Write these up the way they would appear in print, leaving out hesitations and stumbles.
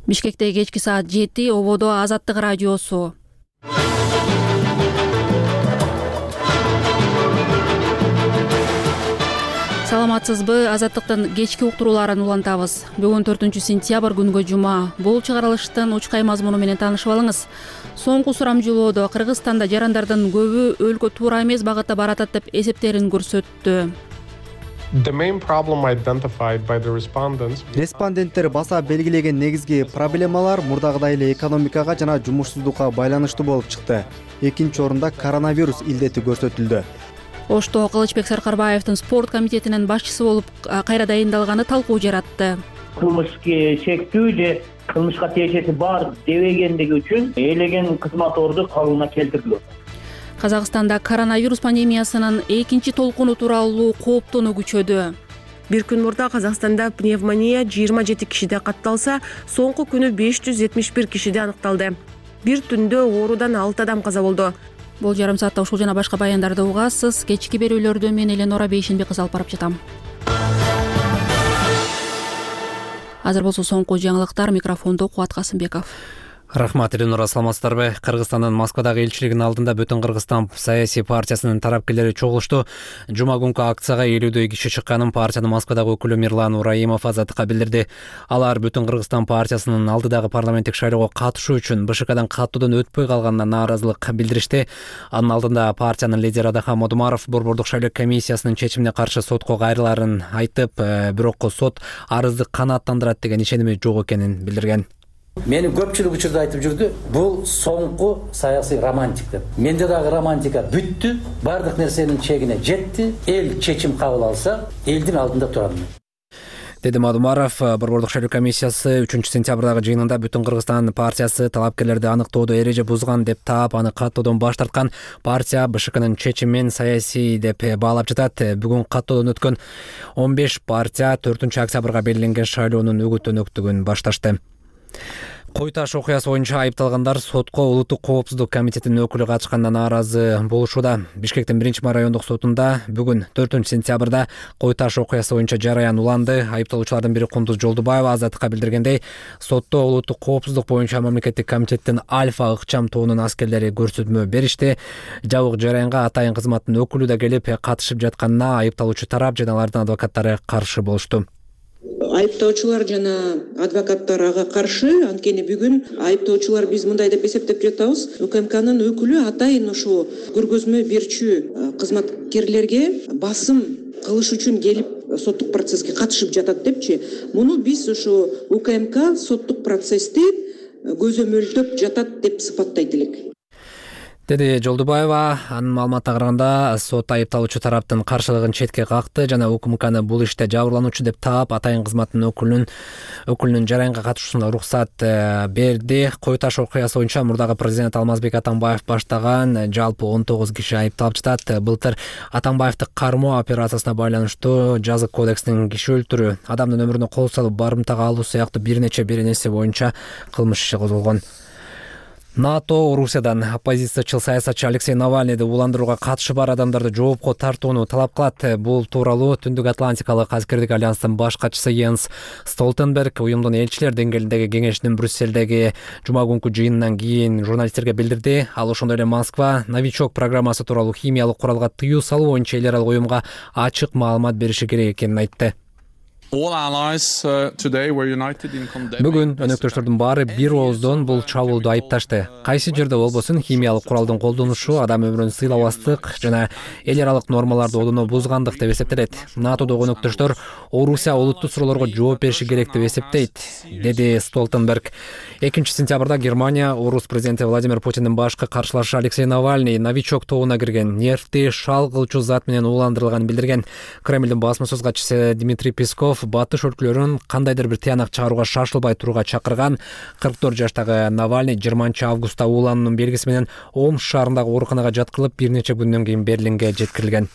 Бишкекте кечки саат 7 ободо Азаттык радиосу. Саламатсызбы? Азаттыктын кечки уктурууларын улантабыз. Бүгүн 4-сентябрь күнгө жума. Бул чыгарылыштын учкай мазмуну менен таанышып алыңыз. Соңку сурамжылоодо Кыргызстанда жарандардын көбү өлкө туура эмес багытта баратат деп эсептерин көрсөттү. Респонденттер баса белгилеген негизги проблемалар мурдагыдай эле экономикага жана жумушсуздукка байланыштуу болуп чыкты. Экинчи орунда коронавирус илдети көрсөтүлдү. Ошто Кылычбек Саркарбаевдин спорт комитетинин башчысы болуп кайра дайындалганы талкуу жаратты. Кылмышка чектүү же кылмышка тиешеси бар дебегендиги үчүн ээлеген кызматорду кабылына келтирилет. Казакстанда коронавирус пандемиясынын экинчи толкуну тууралуу кооптонуу күчөдү. Бир күн мурда Казакстанда пневмония 27 кишиде катталса, соңку күнү 571 кишиде аныкталды. Бир түндө оорудан 6 адам каза болду. Бул жарым саатта ушул жана башка баяндарды угасыз. Кечки берүүлөрдү мен Эленора Бейшенбек алып барып жатам. Азыр болсо соңку жаңылыктар, микрофондо Кубат Касымбеков. Рахмат, Эленора, саламатсыздарбы? Кыргызстандын Москвадагы элчилигинин алдында Бүтүн Кыргызстан саясий партиясынын тарапкерлери чогулушту. Жума күнкү акцияга 50дөй киши чыкканын партиянын Москвадагы өкүлү Мирлан Ураимов Азаттыкка билдирди. Алар Бүтүн Кыргызстан партиясынын алдыдагы парламенттик шайлоого катышуу үчүн БШКдан каттоодон өтпөй калганына нааразылык билдиришти. Анын алдында партиянын лидери Адахан Модумаров Борбордук шайлоо комиссиясынын чечимине каршы сотко кайрылаарын айтып, бирок сот арызды канааттандырат деген ишеними жок экенин билдирген. Мени көпчүлүк учурда айтып жүрдү, бул соңку саясий романтик деп. Менде дагы романтика бүттү, бардык нерсенин чегине жетти. Эл чечим кабыл алса, элдин алдында турам. Деди Модумаров. Борбордук шайлоо комиссиясы 3-сентябрдагы жыйынында Бүтүн Кыргызстан партиясы талапкерлерди аныктоодо эреже бузган деп таап, аны каттоодон баш тарткан. Партия БШКнын чечимин саясий деп баалап жатат. Бүгүн каттоодон өткөн 15 партия 4-октябрга белгиленген шайлоонун өгүт-өнөктүгүн башташты. Кой таш окуясы боюнча айыпталгандар сотко Улуттук коопсуздук комитетинин өкүлү катышканына нааразы болушууда. Бишкектин 1-ма райондук сотунда бүгүн 4-сентябрда Кой таш окуясы боюнча жараян уланды. Айыпталуучулардын бири Кундуз Жолдубаева Азаттыкка билдиргендей, сотто Улуттук коопсуздук боюнча мамлекеттик комитеттин Альфа ыкчам тобунун аскерлери көрсөтмө беришти. Жабык жараянга атайын кызматтын өкүлү да келип катышып жатканына айыпталуучу тарап жана алардын адвокаттары каршы болушту. Айыптоочулар жана адвокаттар ага каршы. Анткени бүгүн айыптоочулар биз мындай деп эсептеп жатабыз. УКМКнын өкүлү атайын ушу көргөзмө берчү кызматкерлерге басым кылыш үчүн келип соттук процесске катышып жатат депчи. Муну биз ушу УКМК соттук процессти көзөмөлдөп жатат деп сыпаттайт элек. Деди Жолдубаева. Анын маалыматына караганда сот айыпталуучу тараптын каршылыгын четке какты жана УКМКны бул иште жабырлануучу деп таап, атайын кызматтын өкүлүнүн жараянга катышуусуна уруксат берди. Кой таш окуясы боюнча мурдагы президент Алмазбек Атамбаев баштаган жалпы 19 киши айыпталып жатат. Былтыр Атамбаевди кармоо операциясына байланыштуу жазык кодекстин киши өлтүрүү, адамдын өмүрүнө кол салып барымтага алуу сыяктуу бир нече беренеси боюнча кылмыш иши козголгон. НАТО Орусиядан оппозициячыл саясатчы Алексей Навальныйды уландырууга катышы бар адамдарды жоопко тартууну талап кылат. Бул тууралуу Түндүк Атлантикалык аскердик альянстын баш катчысы Йенс Столтенберг уюмдун элчилер деңгээлиндеги кеңешинин Брюссельдеги жума күнкү жыйынынан кийин журналисттерге билдирди. Ал ошондой эле Москва новичок программасы тууралуу химиялык куралга тыюу салуу боюнча эл аралык уюмга ачык маалымат бериши керек экенин айтты. Бүгүн өнөктөштөрдүн баары бир ооздон бул чабуулду айыпташты. Кайсы жерде болбосун химиялык куралдын колдонушу адам өмүрүн сыйлабастык жана эл аралык нормаларды одоно бузгандык деп эсептелет. НАТОдогу өнөктөштөр Орусия олуттуу суроолорго жооп бериши керек деп эсептейт, деди Столтенберг. 2-сентябрда Германия Орус президенти Владимир Путиндин башкы каршылашы Алексей Навальный новичок тобуна кирген нефти шал кылчу зат менен уландырылганын билдирген. Кремлдин басма сөз катчысы Дмитрий Песков батыш өлкөлөрүн кандайдыр бир тыянак чыгарууга шашылбай турууга чакырган. 44 жаштагы Навальный 20-августта уулануунун белгиси менен Омск шаарындагы ооруканага жаткырылып, бир нече күндөн кийин Берлинге жеткирилген.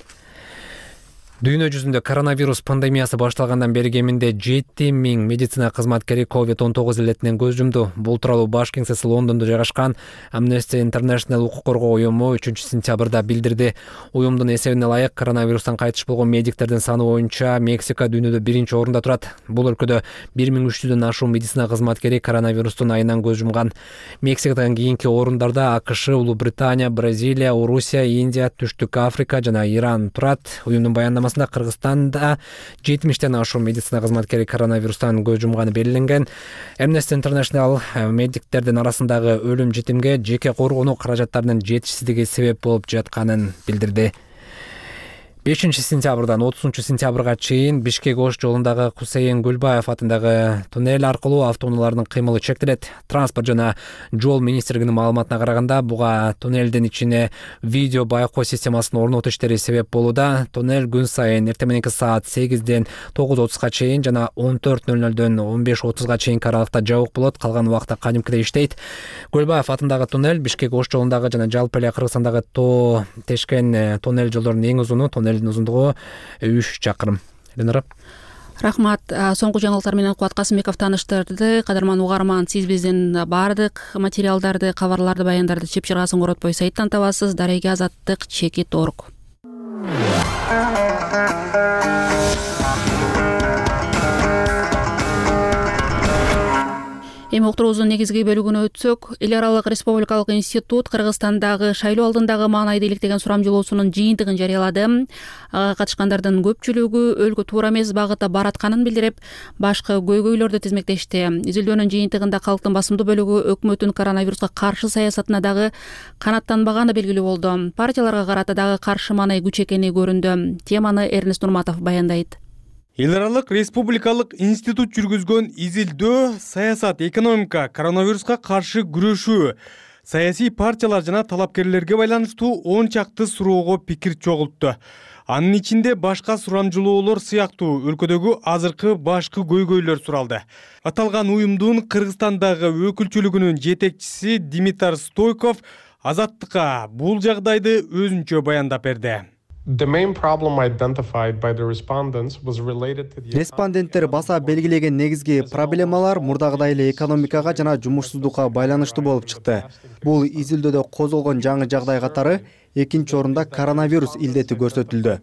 Дүйнө жүзүндө коронавирус пандемиясы башталгандан бери кеминде 7000 медицина кызматкери COVID-19 илетинен көз жумду. Бул тууралуу баш кеңсеси Лондондо жайгашкан Amnesty International укук коргоо уюму 3-сентябрда билдирди. Уюмдун эсебине ылайык коронавирустан кайтыш болгон медиктердин саны боюнча Мексика дүйнөдө 1-орунда турат. Бул өлкөдө 1300дөн ашуун медицина кызматкери коронавирустун айынан көз жумган. Мексикадан кийинки орундарда АКШ, Улуу Британия, Бразилия, Орусия, Индия, Түштүк Африка жана Иран турат. Уюмдун баяндамасында Кыргызстанда 70ден ашуун медицина кызматкери коронавирустан көз жумганы белгиленген. Amnesty International медиктердин арасындагы өлүм житимге жеке коргонуу каражаттарынын жетишсиздиги себеп болуп жатканын билдирди. 5-сентябрдан 30-сентябрга чейин Бишкек-Ош жолундагы Кусейин Гүлбаев атындагы туннель аркылуу автоунаалардын кыймылы чектелет. Транспорт жана жол министрлигинин маалыматына караганда, буга туннелдин ичине видео байкоо системасын орнотуу иштери себеп болууда. Туннель күн сайын эртең мененки саат 8ден 9:30га чейин жана 14:00дөн 15:30га чейинки аралыкта жабык болот, калган убакта кадимкидей иштейт. Гүлбаев атындагы туннель Бишкек-Ош жолундагы жана жалпы эле Кыргызстандагы тоо тешкен туннель жолдордун эң узуну. Туннелдин узундугу 3 чакырым. Ленара. Рахмат. Соңку жаңылыктар менен Кубат Касымбеков тааныштырды. Кадырман угарман, сиз биздин баардык материалдарды, кабарларды, баяндарды чеп чыргасын коротпой сайттан табасыз. Дареге Азаттык /org. Эми уктуруубуздун негизги бөлүгүнө өтсөк, эл аралык республикалык институт Кыргызстандагы шайлоо алдындагы маанайды иликтеген сурамжылоосунун жыйынтыгын жарыялады. Ага катышкандардын көпчүлүгү өлкө туура эмес багытта баратканын билдирип, башкы көйгөйлөрдү тизмектешти. Изилдөөнүн жыйынтыгында калктын басымдуу бөлүгү өкмөттүн коронавируска каршы саясатына дагы канаттанбаганы белгилүү болду. Партияларга карата дагы каршы маанай күч экени көрүндү. Теманы Эрнест Нурматов баяндайт. Эл аралык республикалык институт жүргүзгөн изилдөө саясат, экономика, коронавируска каршы күрөшүү, саясий партиялар жана талапкерлерге байланыштуу 10 чакты суроого пикир чогултту. Анын ичинде башка сурамжылоолор сыяктуу өлкөдөгү азыркы башкы көйгөйлөр суралды. Аталган уюмдун Кыргызстандагы өкүлчүлүгүнүн жетекчиси Димитар Стойков Азаттыкка бул жагдайды өзүнчө баяндап берди. Респонденттер баса белгилеген негизги проблемалар мурдагыдай эле экономикага жана жумушсуздукка байланыштуу болуп чыкты. Бул изилдөөдө козголгон жаңы жагдай катары 2-орунда коронавирус илдети көрсөтүлдү.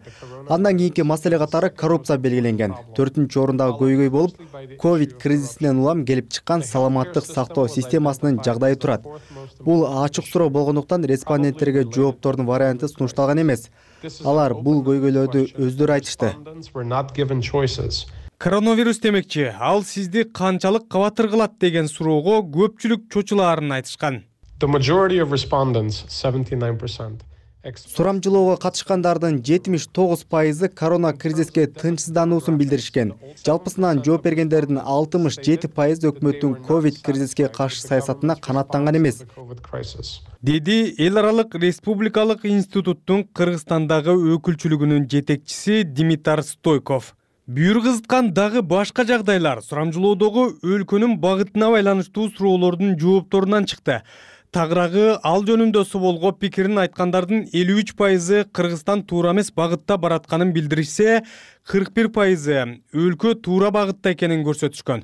Андан кийинки маселе катары коррупция белгиленген. 4-орундагы көйгөй болуп, ковид кризисинен улам келип чыккан саламаттык сактоо системасынын жагдайы турат. Бул ачык суроо болгондуктан респонденттерге жооптордун варианты сунушталган эмес. Алар бул көйгөйлөрдү өздөрү айтышты. Коронавирус демекчи, ал сизди канчалык кабатыр кылат деген суроого көпчүлүк чочулаарын айтышкан. Сурамжылоого катышкандардын 79% корона кризиске тынчсыздануусун билдиришкен. Жалпысынан жооп бергендердин 67% өкмөттүн ковид кризиске каршы саясатына канаттанган эмес. Деди эл аралык республикалык институттун Кыргызстандагы өкүлчүлүгүнүн жетекчиси Димитар Стойков. Бүйүр кызыткан дагы башка жагдайлар сурамжылоодогу өлкөнүн багытына байланыштуу суроолордун жоопторунан чыкты. Тагыраагы ал жөнүндө суроолго пикирин айткандардын 53% Кыргызстан туура эмес багытта баратканын билдиришсе, 41% өлкө туура багытта экенин көрсөтүшкөн.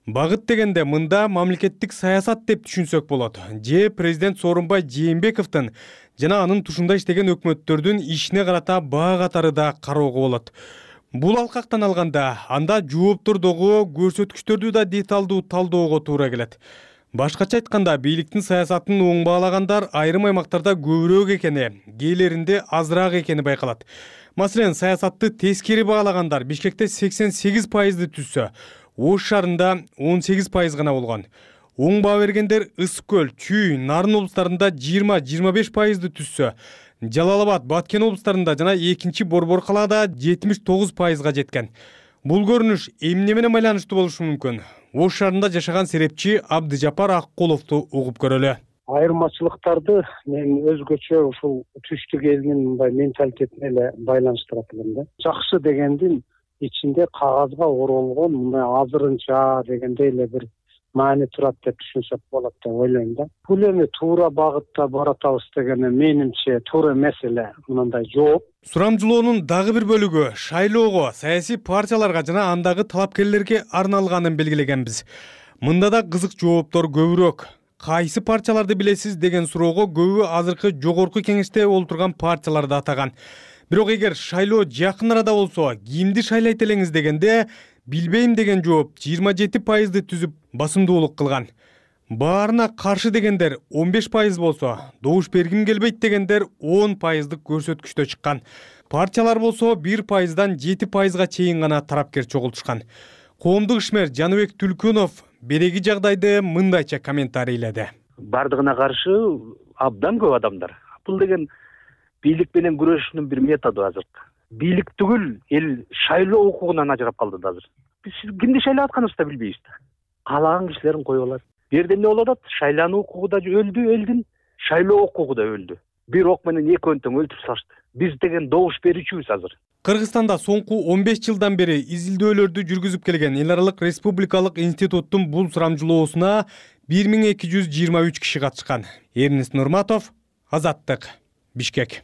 Багыт дегенде мында мамлекеттик саясат деп түшүнсөк болот. Же президент Сооронбай Жээнбековдун жана анын тушунда иштеген өкмөттөрдүн ишине карата баа катары да кароого болот. Бул алкактан алганда, анда жооптордогу көрсөткүчтөрдү да деталдуу талдоого туура келет. Башкача айтканда, бийликтин саясатын оң баалагандар айрым аймактарда көбүрөөк экени, кээлеринде азыраак экени байкалат. Маселен, саясатты тескери баалагандар Бишкекте 88%ды түзсө, Ош шаарында 18% гана болгон. Оң баа бергендер Ысык көл, Чүй, Нарын облустарында 20-25%ды түзсө, Жалал-Абад, Баткен облустарында жана 2-чи Борбор калаада 79%га жеткен. Бул көрүнүш эмне менен байланыштуу болушу мүмкүн? Ош шаарында жашаган серепчи Абдыжапар Аккуловду угуп көрөлү. Айырмачылыктарды мен өзгөчө ушул түштүк элинин мындай менталитетине эле байланыштырат элем да. Жакшы дегендин ичинде кагазга оролгон мындай азырынча дегендей эле бир маани турат деп түшүнсөк болот деп ойлойм да. Бул эми туура багытта баратабыз деген менимче туура эмес эле мындай жооп. Сурамжылоонун дагы бир бөлүгү шайлоого, саясий партияларга жана андагы талапкерлерге арналганын белгилегенбиз. Мында да кызык жооптор көбүрөөк. Кайсы партияларды билесиз деген суроого көбү азыркы жогорку кеңеште олтурган партияларды атаган. Бирок эгер шайлоо жакын арада болсо, кимди шайлайт элеңиз дегенде билбейм деген жооп 27%-ды түзүп басымдуулук кылган. Баарына каршы дегендер 15% болсо, добуш бергим келбейт дегендер 10%дык көрсөткүчтө чыккан. Партиялар болсо 1%дан 7%га чейин гана тарапкер чогултушкан. Коомдук ишмер Жаныбек Түлкөнов береги жагдайды мындайча комментарийледи. Бардыгына каршы абдан көп адамдар. Бул деген бийлик менен күрөшүүнүн бир методу азыр. Бийлик түгүл, эл шайлоо укугунан ажырап калды да азыр. Биз кимди шайлап атканыбызды да билбейбиз да. Каалаган кишилерин коюп алат. Бу жерде эмне болуп атат? Шайлануу укугу да өлдү элдин, шайлоо укугу да өлдү. Бир ок менен эки өнтөң өлтүрүп салышты. Биз деген добуш берүүчүбүз азыр. Кыргызстанда соңку 15 жылдан бери изилдөөлөрдү жүргүзүп келген Эл аралык республикалык институттун бул сурамжылоосуна 1223 киши катышкан. Эрнест Нурматов, Азаттык, Бишкек.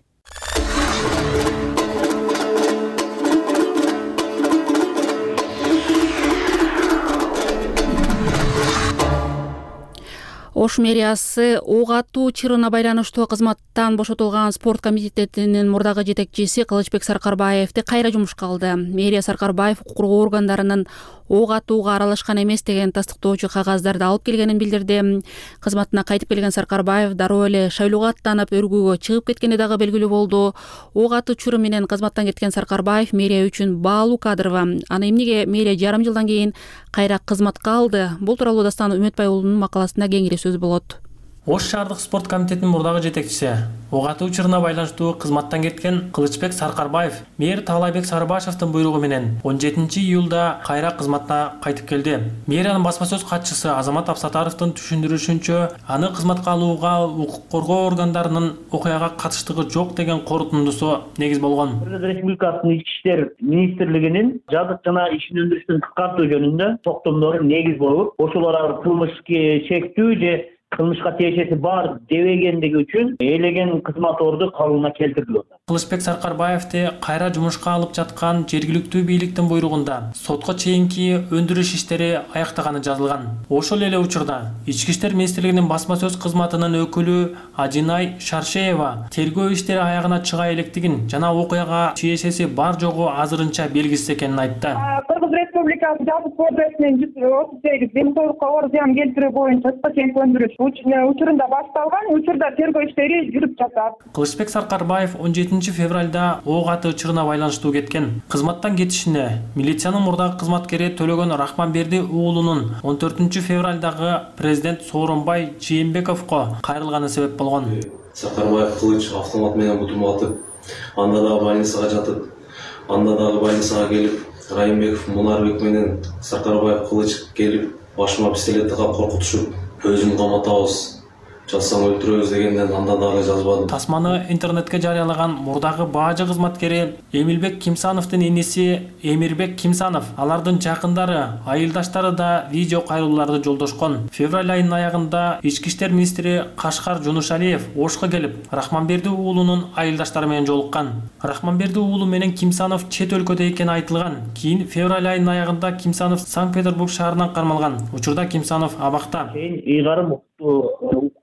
Ош мэриясы ок атуу чырына байланыштуу кызматтан бошотулган спорт комитетинин мурдагы жетекчиси Кылычбек Саркарбаевди кайра жумушка алды. Мэрия Саркарбаев укук коргоо органдарынын ок атууга аралашкан эмес деген тастыктоочу кагаздарды алып келгенин билдирди. Кызматына кайтып келген Саркарбаев дароо эле шайлоого аттанып өргүүгө чыгып кеткени дагы белгилүү болду. Ок атуу чыры менен кызматтан кеткен Саркарбаев мэрия үчүн баалуу кадрова. Аны эмнеге мэрия жарым жылдан кийин кайра кызматка алды? Бул тууралуу Дастан Үмөтбай уулунун макаласында кеңири сөз болот. Ош шаардык спорт комитетинин мурдагы жетекчиси, ок атуу чырына байланыштуу кызматтан кеткен Кылычбек Саркарбаев мэр Таалайбек Сарыбашевдин буйругу менен 17-июлда кайра кызматына кайтып келди. Мэриянын басма сөз катчысы Азамат Абсатаровдун түшүндүрүшүнчө, аны кызматка алууга укук коргоо органдарынын окуяга катыштыгы жок деген корутундусу негиз болгон. Кыргыз Республикасынын ички иштер министрлигинин жазык жана ишин өндүрүштүн кыскартуу жөнүндө токтомдору негиз болуп, ошолор кылмышка чектүү же кылмышка тиешеси бар дебегендиги үчүн элеген кызматорду кабылына келтирилди. Кылычбек Саркарбаевди кайра жумушка алып жаткан жергиликтүү бийликтин буйругунда сотко чейинки өндүрүш иштери аяктаганы жазылган. Ошол эле учурда Ички иштер министрлигинин басма сөз кызматынын өкүлү Ажинай Шаршеева тергөө иштери аягына чыга электигин жана окуяга тиешеси бар жогу азырынча белгисиз экенин айтты. Кыргыз Республикасы Жазык кодексинин 138 деңсоолукка оор зыян келтирүү боюнча сотко чейинки өндүрүш учурунда башталган. Учурда тергөө иштери жүрүп жатат. Кылычбек Саркарбаев 17 февралда ок атуу чырына байланыштуу кеткен. Кызматтан кетишине милициянын мурдагы кызматкери Төлөгөн Рахманберди уулунун 14 февралдагы президент Сооронбай Жээнбековго кайрылганы себеп болгон. Саркарбаев Кылыч автомат менен бутумга атып, анда дагы больницага жатып, анда дагы больницага келип, Райымбеков Мунарбек менен Саркарбаев Кылыч келип, башыма пистолетти кап коркутушуп, өзүн каматабыз, жазсаң өлтүрөбүз дегенден анда дагы жазбадым. Тасманы интернетке жарыялаган мурдагы баажы кызматкери Эмилбек Кимсановдун иниси Эмирбек Кимсанов, алардын жакындары, айылдаштары да видео кайрылууларды жолдошкон. Февраль айынын аягында Ички иштер министри Кашкар Жунушалиев Ошко келип, Рахманберди уулунун айылдаштары менен жолуккан. Рахманберди уулу менен Кимсанов чет өлкөдө экени айтылган. Кийин февраль айынын аягында Кимсанов Санкт-Петербург шаарынан кармалган. Учурда Кимсанов абакта. Ыйгарым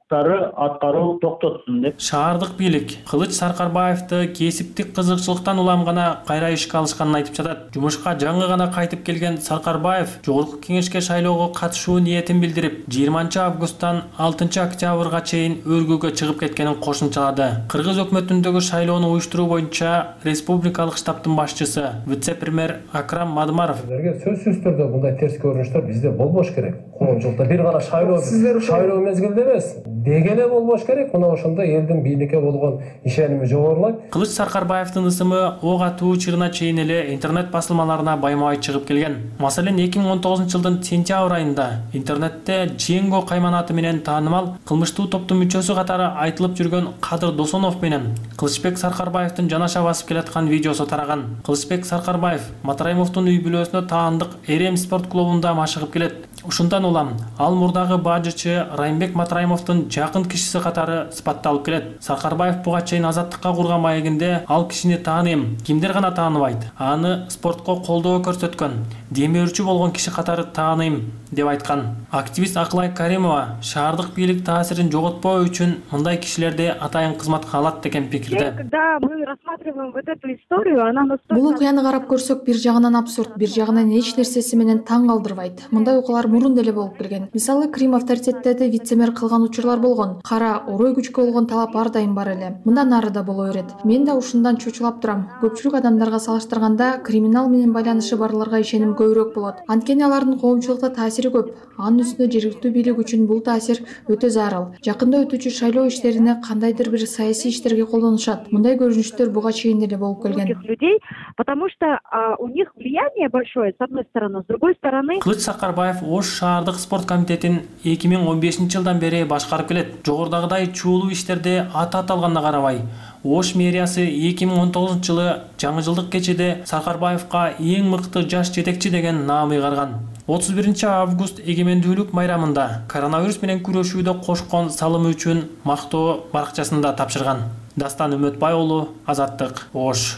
аткаруу токтотсун деп. Шаардык бийлик Кылыч Саркарбаевди кесиптик кызыкчылыктан улам гана кайра ишке алышканын айтып жатат. Жумушка жаңы гана кайтып келген Саркарбаев жогорку кеңешке шайлоого катышуу ниетин билдирип, 20 августтан 6 октябрга чейин өргүүгө чыгып кеткенин кошумчалады. Кыргыз өкмөтүндөгү шайлоону уюштуруу боюнча республикалык штабтын башчысы, вице-премьер Акрам Мадмаров сөзсүз түрдө мындай терс көрүнүштөр бизде болбош керек. Коомчулукта бир гана шайлоо мезгилде эмес, деги эле болбош керек. Мына ошондо элдин бийликке болгон ишеними жогорулайт. Кылыч Саркарбаевдин ысымы ок атуу чырына чейин эле интернет басылмаларына байма-бай чыгып келген. Маселен, 2019 жылдын сентябрь айында интернетте Дженго кайманаты менен таанымал кылмыштуу топтун мүчөсү катары айтылып жүргөн Кадыр Досонов менен Кылычбек Саркарбаевдин жанаша басып келаткан видеосу тараган. Кылычбек Саркарбаев Матраимовдун үй бүлөсүнө таандык Эрем спорт клубунда машыгып келет. Ушундан улам ал мурдагы бажычы Райымбек Матраимовдун жакын кишиси катары сыпатталып келет. Саркарбаев буга чейин Азаттыкка курган маегинде ал кишини тааныйм, кимдер гана тааныбайт, аны спортко колдоо көрсөткөн, демөөрчү болгон киши катары тааныйм деп айткан. Активист Акылай Каримова шаардык бийлик таасирин жоготпоо үчүн мындай кишилерди атайын кызматка алат деген пикирде. Когда мы рассматриваем вот эту историю, она настолько... Бул окуяны карап көрсөк, бир жагынан абсурд, бир жагынан эч нерсеси менен таң калтырбайт. Мындай окуялар мурун деле болуп келген. Мисалы, Крим авторитеттерди вице-мэр кылган учурлар болгон. Кара орой күчкө болгон талап ар дайым бар эле. Мындан ары да боло берет. Мен да ушундан чочулап турам. Көпчүлүк адамдарга салыштырганда криминал менен байланышы барларга ишеним көбүрөөк болот. Анткени алардын коомчулукта таасири көп. Анын үстүнө жергиликтүү бийлик үчүн бул таасир өтө зарыл. Жакында өтүүчү шайлоо иштерине кандайдыр бир саясий иштерге колдонушат. Мындай көрүнүштөр буга чейин деле болуп келген. Людей, потому что у них влияние большое с одной стороны, с другой стороны. Кылыч Сакарбаев Ош шаардык спорт комитетин 2015-жылдан бери башкарып келет. Жогорудагыдай чуулуу иштерде аты аталганына карабай, Ош мэриясы 2019-жылы жаңы жылдык кечеде Сакарбаевка эң мыкты жаш жетекчи деген наам ыйгарган. 31-август эгемендүүлүк майрамында коронавирус менен күрөшүүдө кошкон салымы үчүн мактоо баракчасында тапшырган. Дастан Үмөтбай уулу, Азаттык, Ош.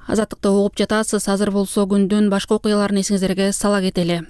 Азаттыкты угуп жатасыз. Азыр болсо күндүн башка окуяларын эсиңиздерге сала кетели.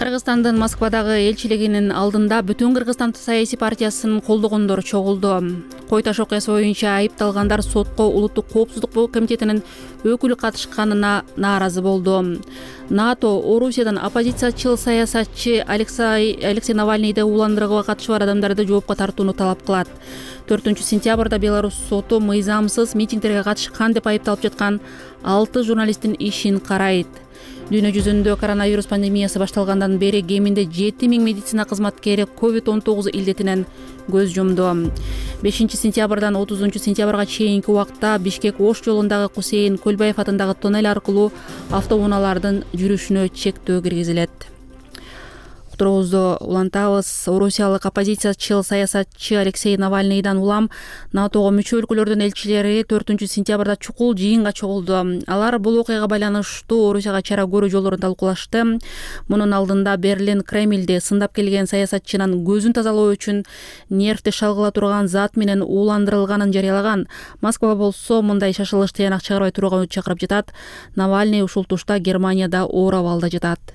Кыргызстандын Москвадагы элчилигинин алдында бүтүн Кыргызстан саясий партиясынын колдогондору чогулду. Кой таш окуясы боюнча айыпталгандар сотко Улуттук коопсуздук комитетинин өкүлү катышканына нааразы болду. НАТО Орусиядан оппозициячыл саясатчы Алексей Навальныйды уландырууга катышы бар адамдарды жоопко тартууну талап кылат. 4-сентябрда Беларусь соту мыйзамсыз митингдерге катышкан деп айыпталып жаткан 6 журналисттин ишин карайт. Дүйнө жүзүндө коронавирус пандемиясы башталгандан бери кеминде 7000 медицина кызматкери COVID-19 илдетинен көз жумду. 5-сентябрдан 30-сентябрга чейинки убакта Бишкек-Ош жолундагы Кусейин Көлбаев атындагы тоннель аркылуу автоунаалардын жүрүшүнө чектөө киргизилет. Уктуруубузду улантабыз. Орусиялык оппозициячыл саясатчы Алексей Навальныйдан улам НАТОго мүчө өлкөлөрдүн элчилери 4-сентябрда чукул жыйынга чогулду. Алар бул окуяга байланыштуу Орусияга чара көрүү жолдорун талкуулашты. Мунун алдында Берлин Кремльде сындап келген саясатчынын көзүн тазалоо үчүн нервти шалгыла турган зат менен ууландырылганын жарыялаган. Москва болсо мындай шашылыш тыянак чыгарбай турууга чакырып жатат. Навальный ушул тушта Германияда оор абалда жатат.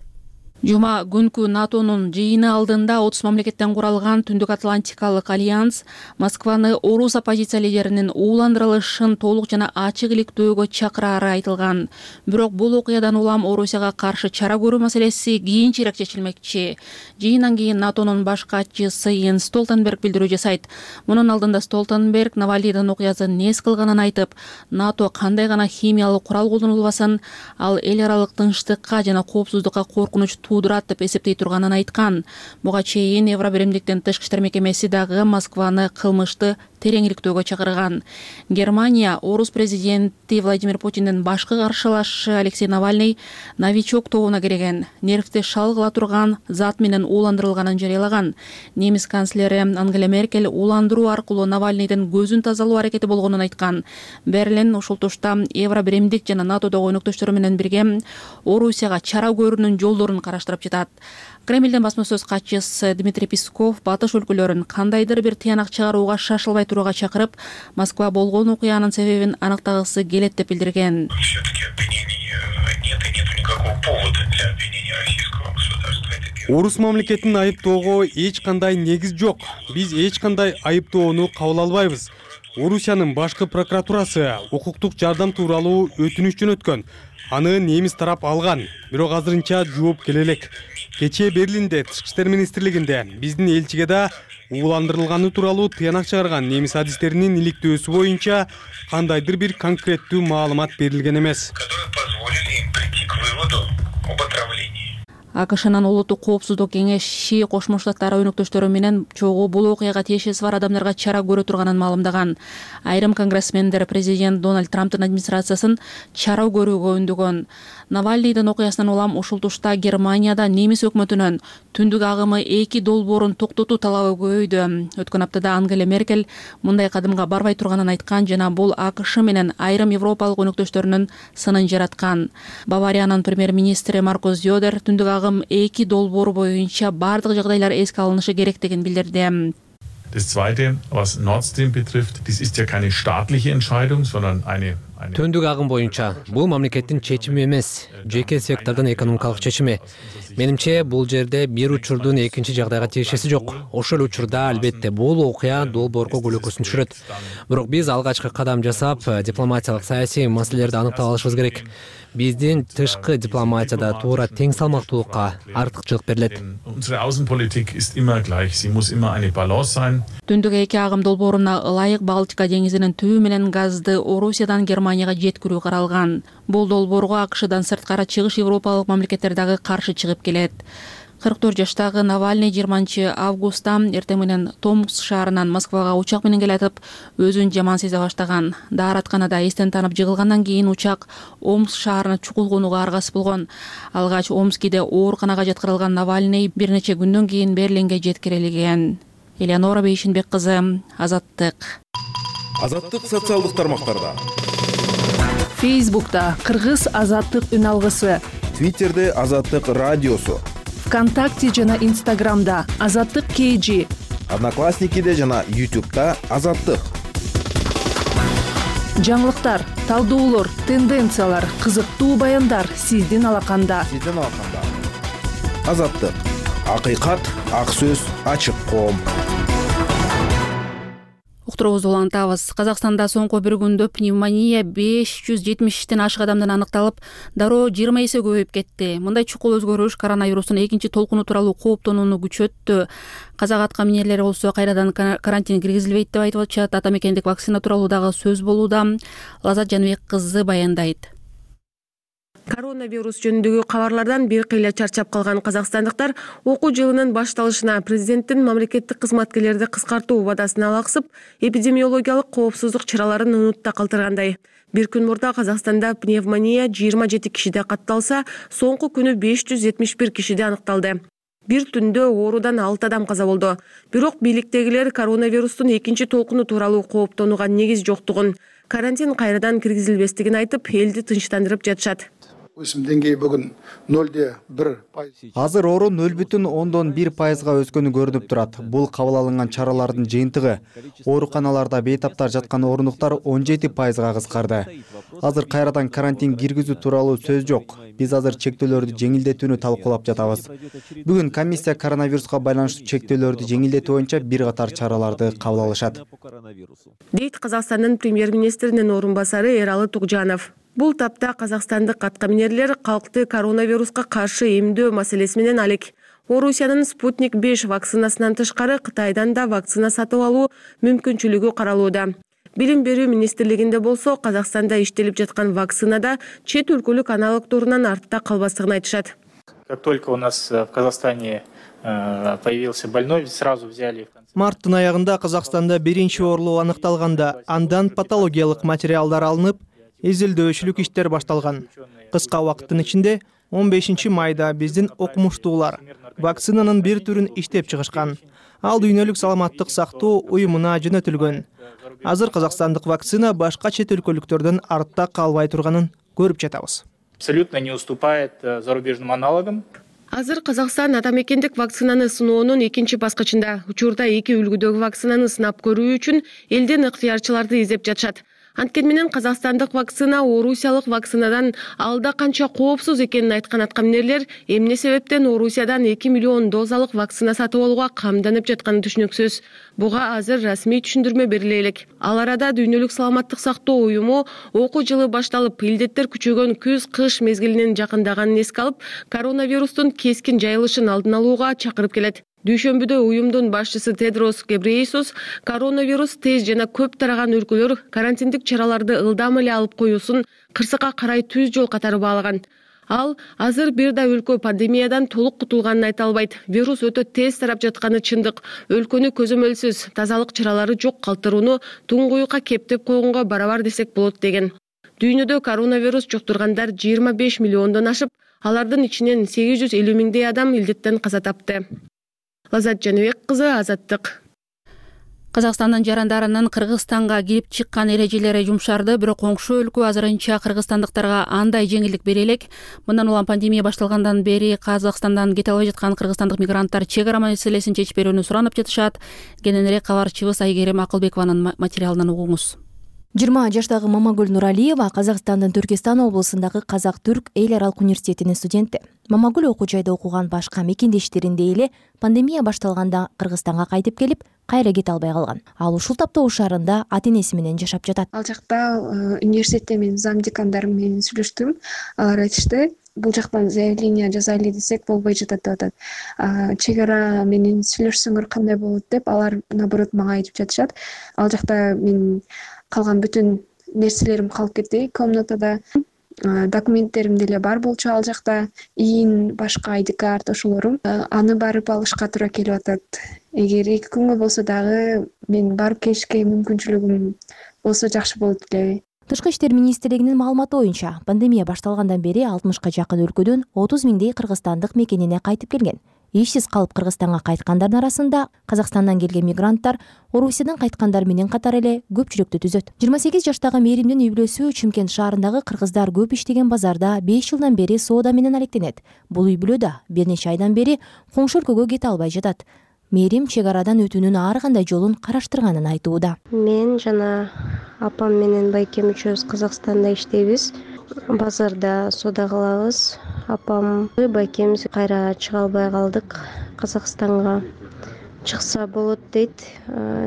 Жума күнкү НАТОнун жыйыны алдында 30 мамлекеттен куралган Түндүк Атлантикалык альянс Москваны орус оппозиция лидеринин ууландырылышын толук жана ачык иликтөөгө чакырары айтылган. Бирок бул окуядан улам Орусияга каршы чара көрүү маселеси кийинчерээк чечилмекчи. Жыйындан кийин НАТОнун баш катчысы Йенс Столтенберг билдирүү жасайт. Мунун алдында Столтенберг Навальныйдын окуясын нес кылганын айтып, НАТО кандай гана химиялык курал колдонулбасын, ал эл аралык тынчтыкка жана коопсуздукка коркунуч туудурат деп эсептей турганын айткан. Буга чейин Евробиримдиктин тышкы иштер мекемеси дагы Москваны кылмышты терең иликтөөгө чакырган. Германия орус президенти Владимир Путиндин башкы каршылашы Алексей Навальный новичок тобуна кирген, нервти шалгыла турган зат менен ууландырылганын жарыялаган. Немис канцлери Ангела Меркель ууландыруу аркылуу Навальныйдын көзүн тазалоо аракети болгонун айткан. Берлин ушул тушта Евробиримдик жана НАТОдогу өнөктөштөрү менен бирге Орусияга чара көрүүнүн жолдорун караштырып жатат. Кремлдин басма сөз катчысы Дмитрий Песков батыш өлкөлөрүн кандайдыр бир тыянак чыгарууга шашылбай турууга чакырып, Москва болгон окуянын себебин аныктагысы келет деп билдирген. Орус мамлекетин айыптоого эч кандай негиз жок. Биз эч кандай айыптоону кабыл албайбыз. Орусиянын башкы прокуратурасы укуктук жардам тууралуу өтүнүч жөнөткөн. Аны немис тарап алган, бирок азырынча жооп келе элек. Кечээ Берлинде Тышкы иштер министрлигинде биздин элчиге да ууландырылганы тууралуу тыянак чыгарган немис адистеринин иликтөөсү боюнча кандайдыр бир конкреттүү маалымат берилген эмес. АКШнын улуттук коопсуздук кеңеши Кошмо Штаттар өнөктөштөрү менен чогуу бул окуяга тиешеси бар адамдарга чара көрө турганын маалымдаган. Айрым конгрессмендер президент Дональд Трамптын администрациясын чара көрүүгө үндөгөн. Навальныйдын окуясынан улам ушул тушта Германияда немис өкмөтүнүн түндүк агымы 2 долбоорун токтотуу талабы көбөйдү. Өткөн аптада Ангела Меркель мындай кадымга барбай турганын айткан жана бул АКШ менен айрым европалык өнөктөштөрүнүн сынын жараткан. Бавариянын премьер-министри Маркус Зёдер түндүк агым 2 долбоору боюнча бардык жагдайлар эске алынышы керектигин билдирди. Das Zweite, was Nord Stream betrifft, dies ist ja keine staatliche Entscheidung, sondern eine Түндүк агым боюнча бул мамлекеттин чечими эмес, жеке сектордун экономикалык чечими. Менимче бул жерде бир учурдун экинчи жагдайга тиешеси жок. Ошол учурда албетте бул окуя долбоорго көлөкөсүн түшүрөт. Бирок биз алгачкы кадам жасап, дипломатиялык саясий маселелерди аныктап алышыбыз керек. Биздин тышкы дипломатияда туура тең салмактуулукка артыкчылык берилет. Unsere Außenpolitik ist immer gleich, sie muss immer eine Balance sein. Түндүк 2 агым долбооруна ылайык Балтика деңизинин түбү менен газды Орусиядан Германияга жеткирүү каралган. Бул долбоорго АКШдан сырткары чыгыш европалык мамлекеттер дагы каршы чыгып келет. 44 жаштагы Навальный 20 августта эртең менен Томск шаарынан Москвага учак менен келатып, өзүн жаман сезе баштаган. Дааратканада эстен танып жыгылгандан кийин учак Омск шаарына чукулгонууга аргасыз болгон. Алгач Омскиде ооруканага жаткырылган Навальный бир нече күндөн кийин Берлинге жеткирилген. Элеонора Бейшинбек кызы, Азаттык. Азаттык социалдык тармактарда. Фейсбукта Кыргыз Азаттык үн алгысы. Твиттерде Азаттык радиосу. ВКонтакте жана Инстаграмда Азаттык KG. Одноклассникиде жана YouTube'да Азаттык. Жаңылыктар, талдоолор, тенденциялар, кызыктуу баяндар сиздин алаканда. Азаттык. Акыйкат, ак сөз, ачык коом. Уктуруубузду улантабыз. Казакстанда соңку бир күндө пневмония 570тен ашык адамдан аныкталып, дароо 20 эсе көбөйүп кетти. Мындай чукул өзгөрүш коронавирустун экинчи толкуну тууралуу кооптонууну күчөттү. Казак аткаминерлери болсо кайрадан карантин киргизилбейт деп айтып атышат. Ата мекендик вакцина тууралуу дагы сөз болууда. Лазат Жаныбек кызы баяндайт. Коронавирус жөнүндөгү кабарлардан бир кыйла чарчап калган казакстандыктар окуу жылынын башталышына президенттин мамлекеттик кызматкерлерди кыскартуу убадасына алаксып, эпидемиологиялык коопсуздук чараларын унутта калтыргандай. Бир күн мурда Казакстанда пневмония 27 кишиде катталса, соңку күнү 571 кишиде аныкталды. Бир түндө оорудан 6 адам каза болду. Бирок бийликтегилер коронавирустун экинчи толкуну тууралуу кооптонууга негиз жоктугун, карантин кайрадан киргизилбестигин айтып, элди тынчтандырып жатышат. Өсім деңгейі бүгін 0,1%. Азыр оору 0,1%га өскөнү көрүнүп турат. Бул кабыл алынган чаралардын жыйынтыгы. Ооруканаларда бейтаптар жаткан орундуктар 17%га кыскарды. Азыр кайрадан карантин киргизүү тууралуу сөз жок. Биз азыр чектөөлөрдү жеңилдетүүнү талкуулап жатабыз. Бүгүн комиссия коронавируска байланыштуу чектөөлөрдү жеңилдетүү боюнча бир катар чараларды кабыл алышат. Дейт Казакстандын премьер-министринин орун басары Эралы Тугжанов. Бул тапта казакстандык аткаминерлер калкты коронавируска каршы эмдөө маселеси менен алек. Орусиянын Спутник 5 вакцинасынан тышкары Кытайдан да вакцина сатып алуу мүмкүнчүлүгү каралууда. Билим берүү министрлигинде болсо Казакстанда иштелип жаткан вакцинада чет өлкөлүк аналогдорунан артта калбастыгын айтышат. Как только у нас в Казахстане появился больной, сразу взяли. Марттын аягында Казакстанда биринчи оорулуу аныкталганда, андан патологиялык материалдар алынып, изилдөөчүлүк иштер башталган. Кыска убакыттын ичинде 15 майда биздин окумуштуулар вакцинанын бир түрүн иштеп чыгышкан. Ал Дүйнөлүк саламаттык сактоо уюмуна жөнөтүлгөн. Азыр казакстандык вакцина башка чет өлкөлүктөрдөн артта калбай турганын көрүп жатабыз. Абсолютно не уступает зарубежным аналогам. Азыр Казакстан ата мекендик вакцинаны сыноонун экинчи баскычында. Учурда 2 үлгүдөгү вакцинаны сынап көрүү үчүн элден ыктыярчыларды издеп жатышат. Анткени менен казакстандык вакцина орусиялык вакцинадан алда канча коопсуз экенин айткан аткаминерлер эмне себептен Орусиядан 2 миллион дозалык вакцина сатып алууга камданып жатканы түшүнүксүз. Буга азыр расмий түшүндүрмө бериле элек. Ал арада Дүйнөлүк саламаттык сактоо уюму окуу жылы башталып, илдеттер күчөгөн күз-кыш мезгилинин жакындаганын эске алып, коронавирустун кескин жайылышын алдын алууга чакырып келет. Дүйшөмбүдө уюмдун башчысы Тедрос Гебрейесус коронавирус тез жана көп тараган өлкөлөр карантиндик чараларды ылдам эле алып коюусун кырсыкка карай түз жол катары баалаган. Ал азыр бир да өлкө пандемиядан толук кутулганын айта албайт. Вирус өтө тез тарап жатканы чындык. Өлкөнү көзөмөлсүз, тазалык чаралары жок калтырууну туңгуюкка кептеп койгонго барабар десек болот деген. Дүйнөдө коронавирус жуктургандар 25 миллиондон ашып, алардын ичинен 850 миңдей адам илдеттен каза тапты. Лазат Жаныбек кызы, Азаттык. Казакстандын жарандарынын Кыргызстанга кирип чыккан эрежелери жумшарды, бирок коңшу өлкө азырынча кыргызстандыктарга андай жеңилдик бере элек. Мындан улам пандемия башталгандан бери Казакстандан кете албай жаткан кыргызстандык мигранттар чек ара маселесин чечип берүүнү суранып жатышат. Кененирээк кабарчыбыз Айгерим Акылбекованын материалынан угуңуз. 20 жаштагы Мамагүл Нуралиева Казакстандын Түркистан облусундагы Казак-Түрк эл аралык университетинин студенти. Мамагүл окуу жайда окуган башка мекендештериндей эле пандемия башталганда Кыргызстанга кайтып келип, кайра кете албай калган. Ал ушул таптоо шаарында ата-энеси менен жашап жатат. Ал жакта университетте мен зам декандарым менен сүйлөштүм. Алар айтышты, бул жактан заявление жазайлы десек болбой жатат деп атат. Чек ара менен сүйлөшсөңөр кандай болот деп алар наоборот мага айтып жатышат. Ал жакта мен калган бүтүн нерселерим калып кетти комнатада. Документтерим деле бар болчу ал жакта, ИИН, башка ID карт ошолорум. Аны барып алышка туура келип атат. Эгер 2 күнгө болсо дагы мен барып келишке мүмкүнчүлүгүм болсо жакшы болот эле. Тышкы иштер министрлигинин маалыматы боюнча, пандемия башталгандан бери 60ка жакын өлкөдөн 30 миңдей кыргызстандык мекенине кайтып келген. Ишсиз калып Кыргызстанга кайткандардын арасында Казакстандан келген мигранттар Орусиядан кайткандар менен катар эле көпчүлүктү түзөт. 28 жаштагы Мээримдин үй-бүлөсү Чымкент шаарындагы кыргыздар көп иштеген базарда 5 жылдан бери соода менен алектенет. Бул үй-бүлө да бир нече айдан бери коңшу өлкөгө кете албай жатат. Мээрим чек арадан өтүүнүн ар кандай жолун караштырганын айтууда. Мен жана апам менен байкем үчөөбүз Казакстанда иштейбиз. Базарда соода кылабыз. Апам, байкемиз кайра чыга албай калдык. Казакстанга чыкса болот дейт.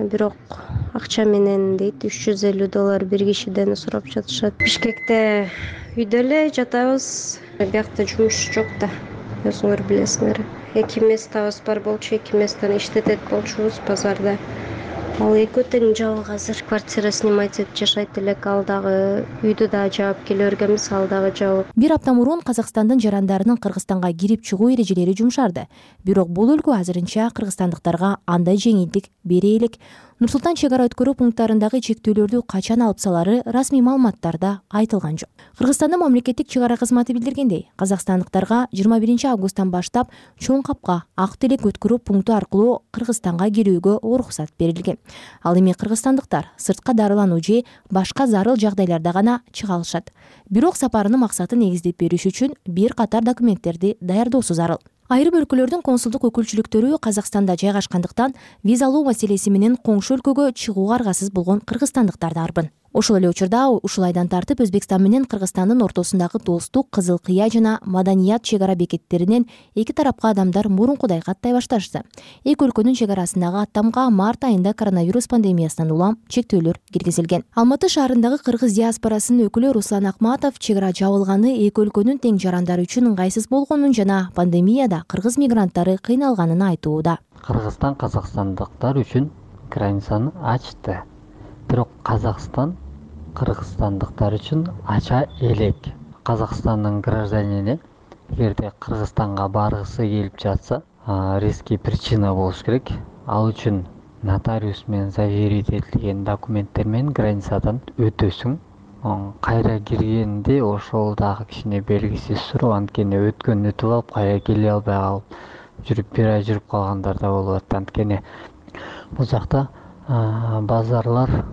Бирок акча менен дейт $350 бир кишиден сурап жатышат. Бишкекте үйдө эле жатабыз. Биякта жумуш жок да. Өзүңөр билесиңер. 2 местабыз бар болчу, 2 месттен иштетет болчубуз базарда. Ал экөө тең жабык азыр квартира снимать этип жашайт элек, ал дагы үйдү да жаап келе бергенбиз, ал дагы жабык. Бир апта мурун Казакстандын жарандарынын Кыргызстанга кирип чыгуу эрежелери жумшарды. Бирок бул өлкө азырынча кыргызстандыктарга андай жеңилдик бере элек. Нур-Султан чек ара өткөрүү пункттарындагы чектөөлөрдү качан алып салары расмий маалыматтарда айтылган жок. Кыргызстандын мамлекеттик чек ара кызматы билдиргендей, казакстандыктарга 21 августтан баштап Чоң Капка Ак Телек өткөрүү пункту аркылуу Кыргызстанга кирүүгө уруксат берилген. Ал эми кыргызстандыктар сыртка дарылануу же башка зарыл жагдайларда гана чыга алышат. Бирок сапарынын максатын негиздеп бериш үчүн бир катар документтерди даярдоосу зарыл. Айрым өлкөлөрдүн консулдук өкүлчүлүктөрү Казакстанда жайгашкандыктан виза алуу маселеси менен коңшу өлкөгө чыгууга аргасыз болгон кыргызстандыктар да арбын. Ошол эле учурда ушул айдан тартып Өзбекстан менен Кыргызстандын ортосундагы достук, Кызыл Кыя жана Маданият чек ара бекеттеринен эки тарапка адамдар мурункудай каттай башташты. Эки өлкөнүн чек арасындагы аттамга март айында коронавирус пандемиясынан улам чектөөлөр киргизилген. Алматы шаарындагы кыргыз диаспорасынын өкүлү Руслан Акматов чек ара жабылганы эки өлкөнүн тең жарандары үчүн ыңгайсыз болгонун жана пандемияда кыргыз мигранттары кыйналганын айтууда. Кыргызстан казакстандыктар үчүн границаны ачты. Бирок Казакстан кыргызстандыктар үчүн ача элек. Казакстандын гражданине эгерде Кыргызстанга баргысы келип жатса, резкий причина болуш керек. Ал үчүн нотариус менен заверить этилген документтер менен границадан өтөсүң. Кайра киргенде ошол дагы кичине белгисиз суроо, анткени өткөн өтүп алып кайра келе албай калып жүрүп бир ай жүрүп калгандар да болуп атат. Анткени бул жакта базарлар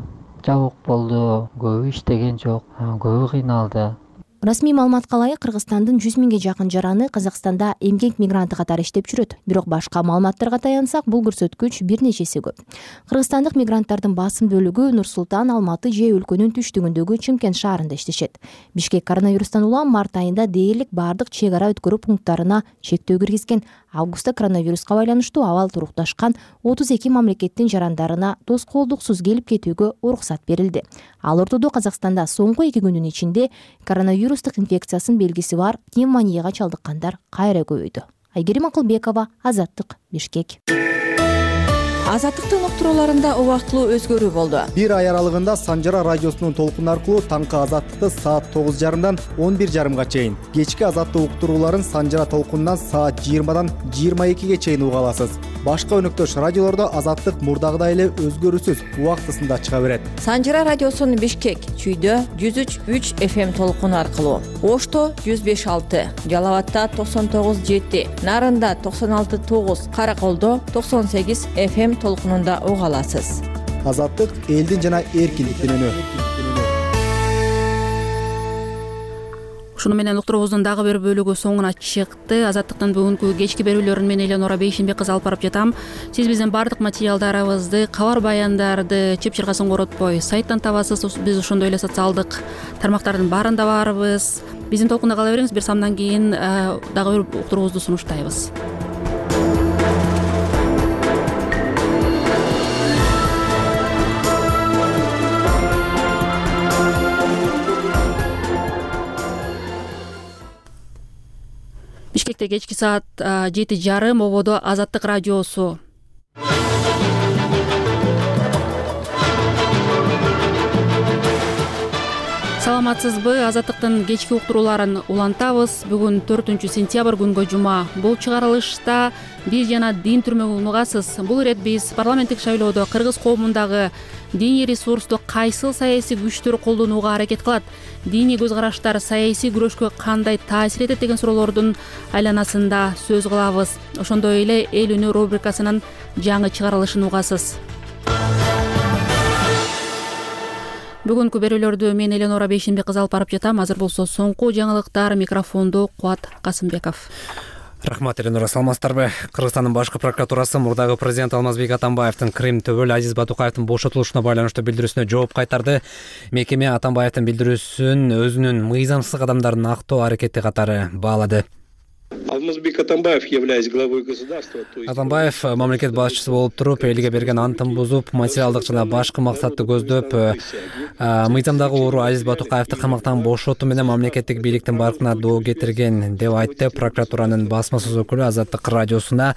жабык болду, көбү иштеген жок, көбү кыйналды. Расмий маалыматка ылайык Кыргызстандын 100 миңге жакын жараны Казакстанда эмгек мигранты катары иштеп жүрөт. Бирок башка маалыматтарга таянсак, бул көрсөткүч бир нечеси көп. Кыргызстандык мигранттардын басым бөлүгү Нур-Султан, Алматы же өлкөнүн түштүгүндөгү Чымкент шаарында иштешет. Бишкек коронавирустан улам март айында дээрлик бардык чек ара өткөрүү пункттарына чектөө киргизген. Августта коронавируска байланыштуу абал турукташкан 32 мамлекеттин жарандарына тоскоолдуксуз келип кетүүгө уруксат берилди. Ал ортодо Казакстанда соңку 2 күндүн ичинде коронавирустук инфекциясынын белгиси бар пневмонияга чалдыккандар кайра көбөйдү. Айгерим Акылбекова, Азаттык, Бишкек. Азаттыктын уктурууларында убактылуу өзгөрүү болду. Бир ай аралыгында Санжара радиосунун толкуну аркылуу таңкы Азаттыкты саат 9:30 11:30 чейин, кечки Азаттык уктурууларын Санжара толкунунан саат 20 22 чейин уга аласыз. Башка өнөктөш радиолордо Азаттык мурдагыдай эле өзгөрүүсүз убактысында чыга берет. Санжара радиосунун Бишкек, Чүйдө 103.3 FM толкуну аркылуу, Ошто 105.6, Жалал-Абадта 99.7, Нарында 96.9, Караколдо 98 FM толкунунда уга аласыз. Азаттык элдин жана эркиндиктин үнү. Ушуну менен уктуруубуздун дагы бир бөлүгү соңуна чыкты. Азаттыктын бүгүнкү кечки берүүлөрүн мен Эленора Бейшенбек кызы алып барып жатам. Сиз биздин баардык материалдарыбызды, кабар баяндарды чеп-чыргасын коротпой сайттан табасыз. Биз ошондой эле социалдык тармактардын баарында барбыз. Биздин толкунда кала бериңиз. Бир самдан кийин дагы бир уктуруубузду сунуштайбыз. Бишкекте кечки саат 7:30 ободо Азаттык радиосу. Саламатсызбы? Азаттыктын кечки уктурууларын улантабыз. Бүгүн 4-сентябрь күнгө жума. Бул чыгарылышта биз жана дин түрмөгүн угасыз. Бул ирет биз парламенттик шайлоодо кыргыз коомундагы диний ресурсту кайсыл саясий күчтөр колдонууга аракет кылат, диний көз караштар саясий күрөшкө кандай таасир этет деген суроолордун айланасында сөз кылабыз. Ошондой эле эл үнү рубрикасынын жаңы чыгарылышын угасыз. Бүгүнкү берүүлөрдү мен Эленора Бейшенбек кызы алып барып жатам. Азыр болсо соңку жаңылыктар, микрофонду Кубат Касымбеков. Рахмат, Эленора. Саламатсыздарбы? Кыргызстандын башкы прокуратурасы мурдагы президент Алмазбек Атамбаевдин Крым төбөл Азиз Батукаевдин бошотулушуна байланыштуу билдирүүсүнө жооп кайтарды. Мекеме Атамбаевдин билдирүүсүн өзүнүн мыйзамсыз кадамдарын актоо аракети катары баалады. Алмазбек Атамбаев, являясь главой государства, Атамбаев мамлекет башчысы болуп туруп, элге берген антын бузуп, материалдык жана башкы максатты көздөп, мыйзамдагы уру Азиз Батукаевди камактан бошотуу менен мамлекеттик бийликтин баркына доо кетирген деп айтты прокуратуранын басма сөз өкүлү Азаттык радиосуна.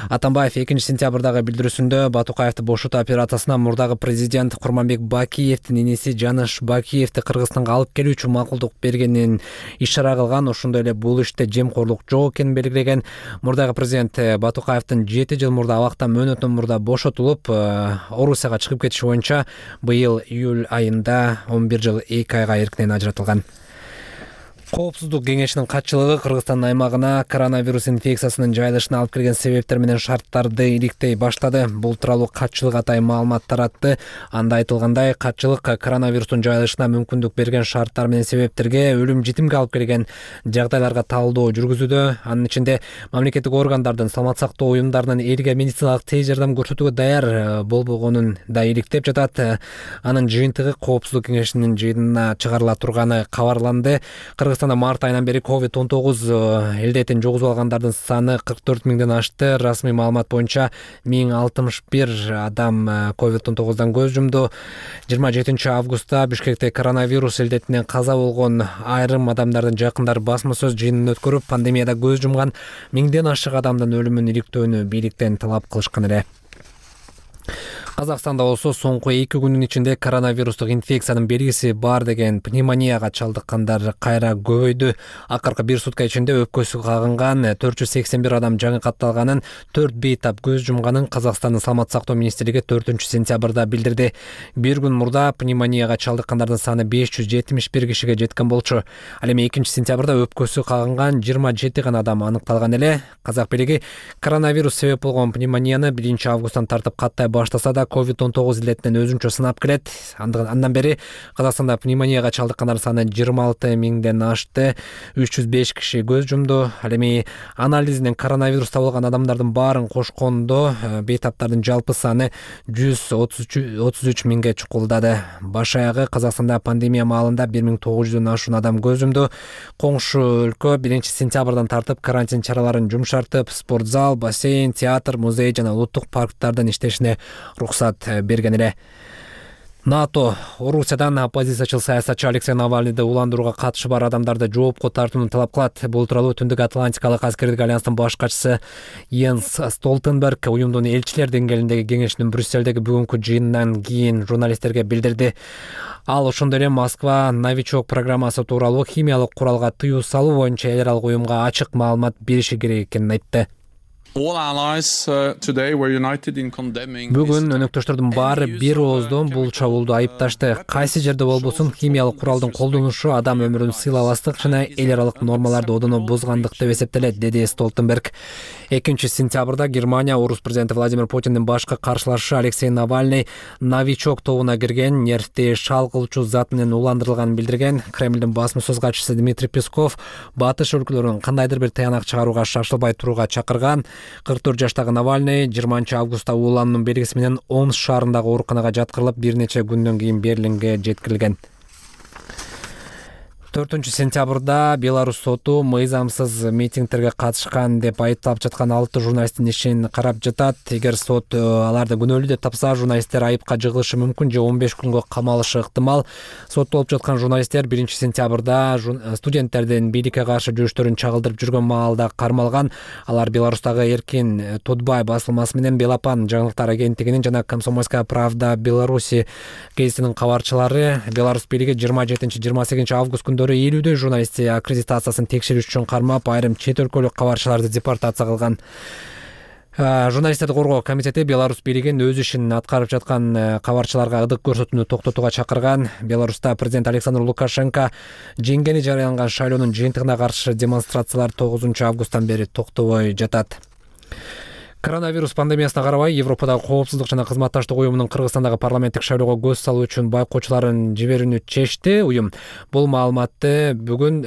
Атамбаев 2-сентябрдагы билдирүүсүндө Батукаевди бошотуу операциясына мурдагы президент Курманбек Бакиевдин иниси Жаныш Бакиевди Кыргызстанга алып келүү үчүн макулдук бергенин ишара кылган. Ошондой эле бул иште жемкорлук жок экенин белгилеген. Мурдагы президент Батукаевдин 7 жыл мурда абактан мөөнөттөн мурда бошотулуп, Орусияга чыгып кетиши боюнча быйыл июль айында 11 жыл 2 айга эркинен ажыратылган. Коопсуздук кеңешинин катчылыгы Кыргызстандын аймагына коронавирус инфекциясынын жайылышына алып келген себептер менен шарттарды иликтей баштады. Бул тууралуу катчылык атайын маалымат таратты. Анда айтылгандай, катчылык коронавирустун жайылышына мүмкүндүк берген шарттар менен себептерге өлүм житимге алып келген жагдайларга талдоо жүргүзүүдө. Анын ичинде мамлекеттик органдардын, саламат сактоо уюмдарынын элге медициналык тез жардам көрсөтүүгө даяр болбогонун да иликтеп жатат. Анын жыйынтыгы Коопсуздук кеңешинин жыйынына чыгарыла турганы кабарланды. Кыргызстанда март айынан бери COVID-19 элдетин жогузуп алгандардын саны 44 миңден ашты. Расмий маалымат боюнча 1061 адам COVID-19дан көз жумду. 27 августта Бишкекте коронавирус элдетинен каза болгон айрым адамдардын жакындары басма сөз жыйынын өткөрүп, пандемияда көз жумган 1000ден ашык адамдын өлүмүн иликтөөнү бийликтен талап кылышкан эле. Казакстанда болсо соңку 2 күнүн ичинде коронавирустук инфекциянын белгиси бар деген пневмонияга чалдыккандар кайра көбөйдү. Акыркы 1 сутка ичинде өпкөсү кагынган 481 адам жаңы катталганын, 4 бейтап көз жумганын Казакстандын саламат сактоо министрлиги 4-сентябрда билдирди. Bir күн мурда пневмонияга чалдыккандардын саны 571 кишиге жеткен болчу. Ал эми 2-сентябрда өпкөсү кагынган 27 гана адам аныкталган эле. Казак бийлиги коронавирус себеп болгон пневмонияны 1 августтан тартып каттай баштаса да COVID-19 илетинен өзүнчө сынап келет. Андан бери Казакстанда пневмонияга чалдыккандар саны 26 миңден ашты. 305 киши көз жумду. Ал эми анализинен коронавирус табылган адамдардын баарын кошкондо бейтаптардын жалпы саны 133 миңге чукулдады. Баш аягы Казакстанда пандемия маалында 1900дөн ашуун адам көз жумду. Коңшу өлкө 1-сентябрдан тартып карантин чараларын жумшартып, спортзал, бассейн, театр, музей жана улуттук парктардын иштешине уруксат берген эле. НАТО Орусиядан оппозициячыл саясатчы Алексей Навальныйды уландырууга катышы бар адамдарды жоопко тартууну талап кылат. Бул тууралуу Түндүк Атлантикалык аскердик альянстын баш катчысы Йенс Столтенберг уюмдун элчилер деңгээлиндеги кеңешинин Брюссельдеги бүгүнкү жыйынынан кийин журналисттерге билдирди. Ал ошондой эле Москва новичок программасы тууралуу химиялык куралга тыюу салуу боюнча эл аралык уюмга ачык маалымат бериши керек экенин айтты. Бүгүн өнөктөштөрдүн баары бир ооздон бул чабуулду айыпташты. Кайсы жерде болбосун химиялык куралдын колдонушу адам өмүрүн сыйлабастык жана эл аралык нормаларды одоно бузгандык деп эсептелет, деди Столтенберг. 2-сентябрда Германия орус президенти Владимир Путиндин башкы каршылашчысы Алексей Навальный новичок тобуна кирген нервти шалгылчу зат менен уландырылганын билдирген. Кремлдин басма сөз катчысы Дмитрий Песков батыш өлкөлөрүн кандайдыр бир таянак чыгарууга шашылбай турууга чакырган. 44 жаштагы Навальный 20 августта уулануунун белгиси менен Омск шаарындагы ооруканага жаткырылып, бир нече күндөн кийин Берлинге жеткирилген. 4-сентябрда Беларусь соту мыйзамсыз митингтерге катышкан деп айыпталып жаткан 6 журналисттин ишин карап жатат. Эгер сот аларды күнөөлүү деп тапса, журналисттер айыпка жыгылышы мүмкүн же 15 күнгө камалышы ыктымал. Соттолуп жаткан журналисттер 1-сентябрда студенттердин бийликке каршы жүрүштөрүн чагылдырып жүргөн маалда кармалган. Алар Беларустагы Эркин Тодбай басылмасы менен Белапан жаңылыктар агенттигинин жана Комсомольская правда Беларуси гезитинин кабарчылары. Беларусь бийлиги 27-28 август элүүдөй журналисти аккредитациясын текшерүү үчүн кармап, айрым чет өлкөлүк кабарчыларды депортация кылган. Журналисттерди коргоо комитети Беларусь бийлигин өз ишин аткарып жаткан кабарчыларга ыдык көрсөтүүнү токтотууга чакырган. Беларусьта президент Александр Лукашенко жеңгени жарыяланган шайлоонун жыйынтыгына каршы демонстрациялар 9 августтан бери токтобой жатат. Коронавирус пандемиясына карабай, Европадагы коопсуздук жана кызматташтык уюмунун Кыргызстандагы парламенттик шайлоого көз салуу үчүн байкоочуларын жиберүүнү чечти. Уюм бул маалыматты бүгүн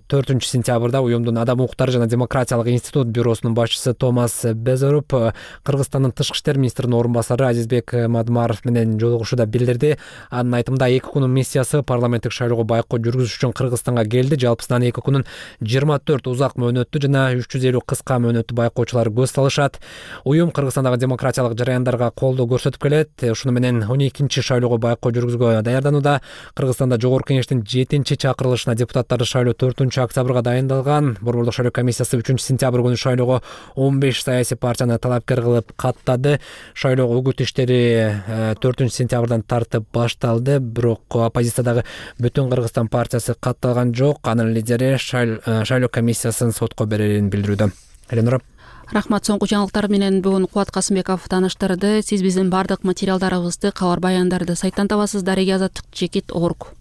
4-сентябрда уюмдун Адам укуктары жана демократиялык институт бюросунун башчысы Томас Безоруп Кыргызстандын тышкы иштер министринин орун басары Азизбек Мадмаров менен жолугушууда билдирди. Анын айтымында 2 күнүн миссиясы парламенттик шайлоого байкоо жүргүзүш үчүн Кыргызстанга келди. Жалпысынан 2 күнүн 24 узак мөөнөттүү жана 350 кыска мөөнөттүү байкоочулар көз салышат. Уюм Кыргызстандагы демократиялык жараяндарга колдоо көрсөтүп келет. Ушуну менен 12-чи шайлоого байкоо жүргүзүүгө даярданууда. Кыргызстанда Жогорку Кеңештин 7-чакырылышына депутаттарды шайлоо 4-октябрга дайындалган. Борбордук шайлоо комиссиясы 3-сентябрь күнү шайлоого 15 саясий партияны талапкер кылып каттады. Шайлоо үгүт иштери 4-сентябрдан тартып башталды, бирок оппозициядагы Бүтүн Кыргызстан партиясы катталган жок. Анын лидери шайлоо комиссиясын сотко берерин билдирүүдө. Эленора. Рахмат. Соңку жаңылыктар менен бүгүн Кубат Касымбеков тааныштырды. Сиз биздин бардык материалдарыбызды, кабар баяндарды сайттан табасыздар. Азаттык.org.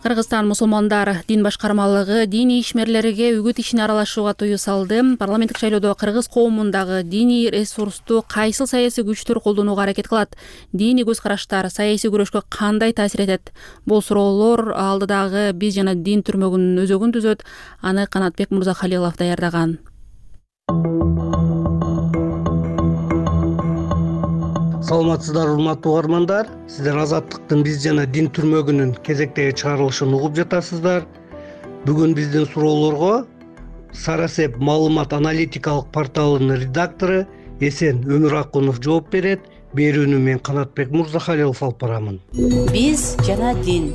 Кыргызстан мусулмандар дин башкармалыгы диний ишмерлерге үгүт ишине аралашууга тыюу салды. Парламенттик шайлоодо кыргыз коомундагы диний ресурсту кайсыл саясий күчтөр колдонууга аракет кылат? Диний көз караштар саясий күрөшкө кандай таасир этет? Бул суроолор алдыдагы биз жана дин түрмөгүнүн өзөгүн түзөт. Аны Канатбек Мурзахалилов даярдаган. Саламатсыздар, урматтуу угармандар. Сиздер Азаттыктын биз жана дин түрмөгүнүн кезектеги чыгарылышын угуп жатасыздар. Бүгүн биздин суроолорго Сарасеп маалымат аналитикалык порталынын редактору Эсен Өмүракунов жооп берет. Берүүнү мен Канатбек Мурзахалилов алып барамын. Биз жана дин.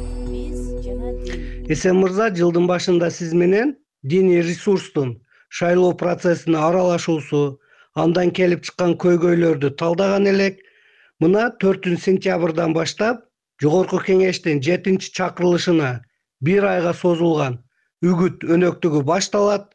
Эсен мырза, жылдын башында сиз менен диний ресурстун шайлоо процессине аралашуусу, андан келип чыккан көйгөйлөрдү талдаган элек. Мына 4-сентябрдан баштап Жогорку Кеңештин 7-чакырылышына 1 айга созулган үгүт өнөктүгү башталат.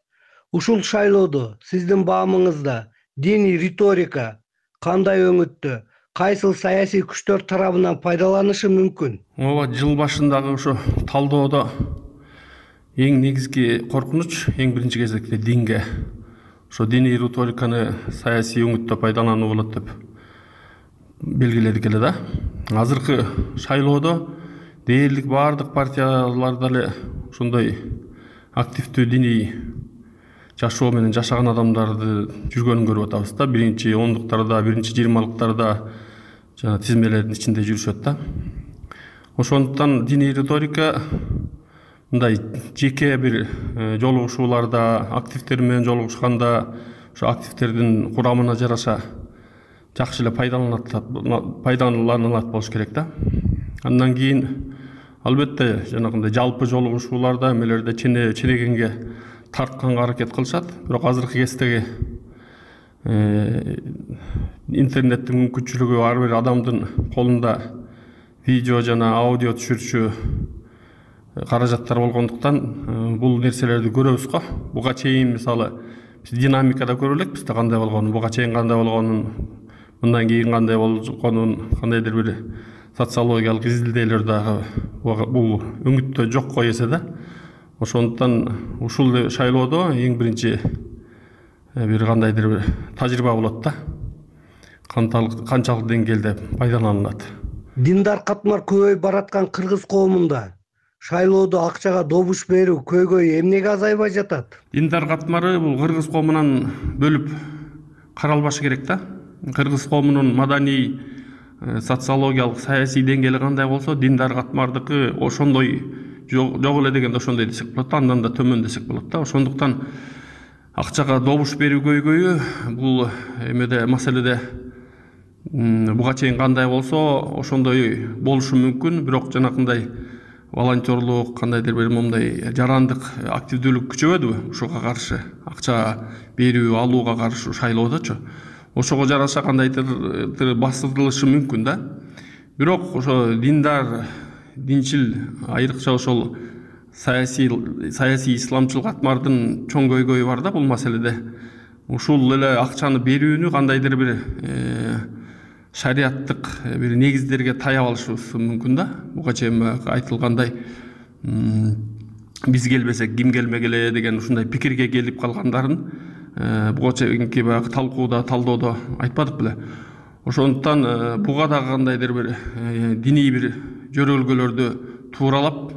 Ушул шайлоодо сиздин баамыңызда диний риторика кандай өңүттө, кайсыл саясий күчтөр тарабынан пайдаланышы мүмкүн? Ооба, жыл башындагы ошо талдоодо эң негизги коркунуч эң биринчи кезекте динге, ошо диний риториканы саясий өңүттө пайдалануу болот деп белгиледик эле да. Азыркы шайлоодо дээрлик баардык партияларда эле ошондой активдүү диний жашоо менен жашаган адамдарды жүргөнүн көрүп атабыз да. Биринчи ондуктарда, биринчи 20-лыктарда жана тизмелердин ичинде жүрүшөт да. Ошондуктан диний риторика мындай жеке бир жолугушууларда, активдер менен жолугушканда ошо активдердин курамына жараша жакшы эле пайдаланылат болуш керек да. Андан кийин албетте жанагындай жалпы жолугушууларда эмелерде ченегенге тартканга аракет кылышат. Бирок азыркы кездеги интернеттин мүмкүнчүлүгү ар бир адамдын колунда видео жана аудио түшүрчү каражаттар болгондуктан бул нерселерди көрөбүз го. Буга чейин мисалы биз динамикада көрө элекпиз кандай болгонун, буга чейин кандай болгонун, мындан кийин кандай болгонун, кандайдыр бир социологиялык изилдөөлөр дагы бул өңүттө жокко эсе да. Ошондуктан ушул шайлоодо эң биринчи бир кандайдыр бир тажрыйба болот да. Канчалык деңгээлде пайдаланылат. Диндар катмар көбөйүп бараткан кыргыз коомунда шайлоодо акчага добуш берүү көйгөй эмнеге азайбай жатат? Диндар катмары бул кыргыз коомунан бөлүп каралбашы керек да. Кыргыз коомунун маданий, социологиялык, саясий деңгээли кандай болсо, диндар катмардыкы ошондой жок эле дегенде ошондой десек болот, андан да төмөн десек болот да. Ошондуктан акчага добуш берүү көйгөйү бул эмеде маселеде буга чейин кандай болсо ошондой болушу мүмкүн, бирок жанакындай волонтерлук, кандайдыр бир момундай жарандык активдүүлүк күчөбөдүбү ушуга каршы, акча берүү алууга каршы шайлоодочу. Ошого жараша кандайдыр басылышы мүмкүн да. Бирок ошо диндар, динчил, айрыкча ошол саясий исламчыл катмардын чоң көйгөйү бар да бул маселеде. Ушул эле акчаны берүүнү кандайдыр бир шариаттык бир негиздерге таяп алышыбыз мүмкүн да. Буга чейин айтылгандай биз келбесек ким келмегиле деген ушундай пикирге келип калгандарын буга чейинки баягы талкууда, талдоодо айтпадык беле. Ошондуктан буга дагы кандайдыр бир диний бир жөрөлгөлөрдү тууралап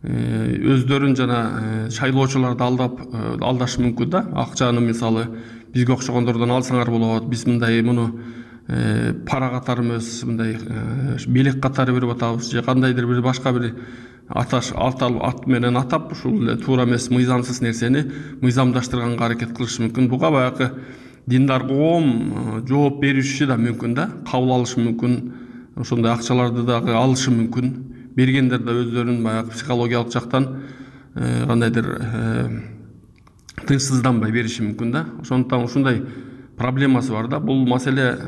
өздөрүн жана шайлоочуларды алдашы мүмкүн да. Акчаны мисалы бизге окшогондордон алсаңар болот, биз мындай муну пара катары эмес, мындай белек катары берип атабыз же кандайдыр бир башка бир ат менен атап ушул эле туура эмес мыйзамсыз нерсени мыйзамдаштырганга аракет кылышы мүмкүн. Буга баягы диндар коом жооп бериши да мүмкүн да, кабыл алышы мүмкүн, ошондой акчаларды дагы алышы мүмкүн. Бергендер да өздөрүн баягы психологиялык жактан кандайдыр тынчсызданбай бериши мүмкүн да. Ошондуктан ушундай проблемасы бар да. Бул маселе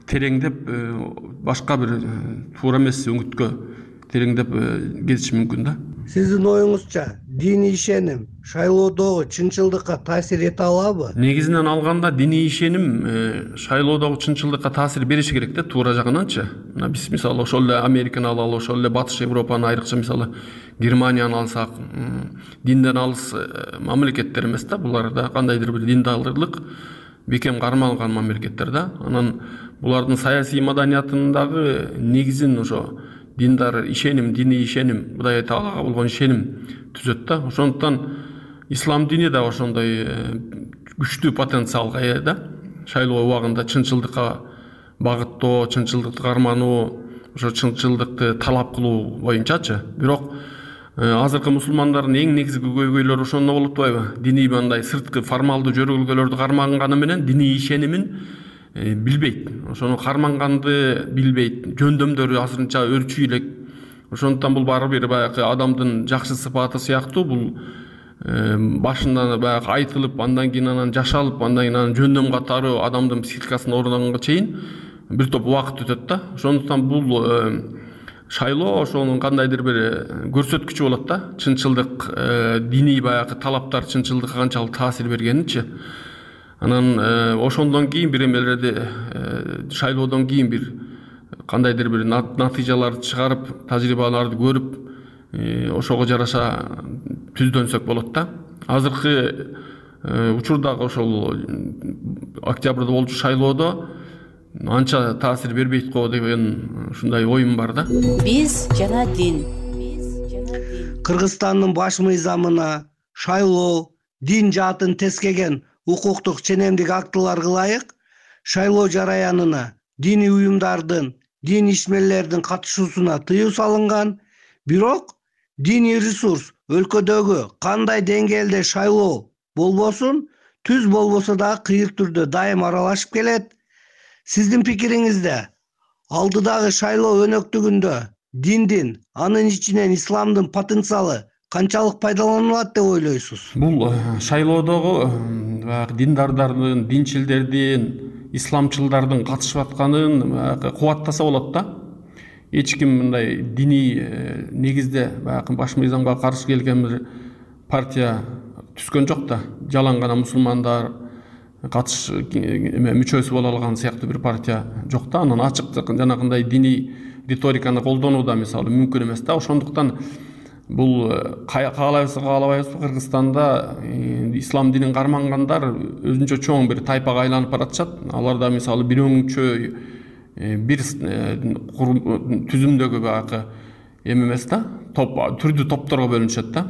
тереңдеп башка бир туура эмес өңүткө тереңдеп кетиши мүмкүн да. Сиздин оюңузча диний ишеним шайлоодогу чынчылдыкка таасир эте алабы? Негизинен алганда диний ишеним шайлоодогу чынчылдыкка таасир бериши керек да, туура жагынанчы. Биз мисалы ошол эле Американы алалы, ошол эле Батыш Европаны, айрыкча мисалы Германияны алсак, динден алыс мамлекеттер эмес да, булар да кандайдыр бир диндарлык бекем кармалган мамлекеттер да. Анан булардын саясий маданиятындагы негизин ошо диндар ишеним, диний ишеним, Кудай Таалага болгон ишеним түзөт да. Ошондуктан ислам дини да ошондой күчтүү потенциалга ээ да. Шайлоо убагында чынчылдыкка багыттоо, чынчылдыкты кармануу, ошо чынчылдыкты талап кылуу боюнчачы. Бирок азыркы мусулмандардын эң негизги көйгөйлөрү ошондо болуп атпайбы? Диний мындай сырткы формалдуу жөрөлгөлөрдү карманганы менен диний ишенимин билбейт. Ошону карманганды билбейт. Жөндөмдөрү азырынча өрчүй элек. Ошондуктан бул баары бир баягы адамдын жакшы сыпаты сыяктуу, бул башында баягы айтылып, андан кийин анан жашалып, андан кийин анан жөндөм катары адамдын психикасына орногонго чейин бир топ убакыт өтөт да. Ошондуктан бул шайлоо ошонун кандайдыр бир көрсөткүчү болот да. Чынчылдык, диний баягы талаптар чынчылдыкка канчалык таасир бергенинчи. Анан ошондон кийин бир эмелерди шайлоодон кийин бир кандайдыр бир натыйжаларды чыгарып, тажрыйбаларды көрүп, ошого жараша түздөнсөк болот да. Азыркы учурдагы ошол октябрда болчу шайлоодо анча таасир бербейт го деген ушундай оюм бар да. Биз жана дин. Кыргызстандын баш мыйзамына шайлоо дин жаатын тескеген укуктук ченемдик актыларга ылайык шайлоо жараянына диний уюмдардын, дин ишмерлердин катышуусуна тыюу салынган, бирок диний ресурс өлкөдөгү кандай деңгээлде шайлоо болбосун, түз болбосо дагы кыйыр түрдө дайым аралашып келет. Сиздин пикириңизде алдыдагы шайлоо өнөктүгүндө диндин, анын ичинен исламдын потенциалы канчалык пайдаланылат деп ойлойсуз? Бул шайлоодогу диндардардын, динчилдердин, исламчылдардын катышып атканын кубаттаса болот да. Эч ким мындай диний негизде баягы баш мыйзамга каршы келген бир партия түзгөн жок да. Жалаң гана мусулмандар мүчөсү боло алган сыяктуу бир партия жок да. Анан ачык жанагындай диний риториканы колдонуу да мисалы мүмкүн эмес да. Ошондуктан бул каалайбызбы каалабайбызбы Кыргызстанда ислам динин кармангандар өзүнчө чоң бир тайпага айланып баратышат. Алар да мисалы бир өңчө бир түзүмдөгү баягы эмес да, түрдүү топторго бөлүнүшөт да.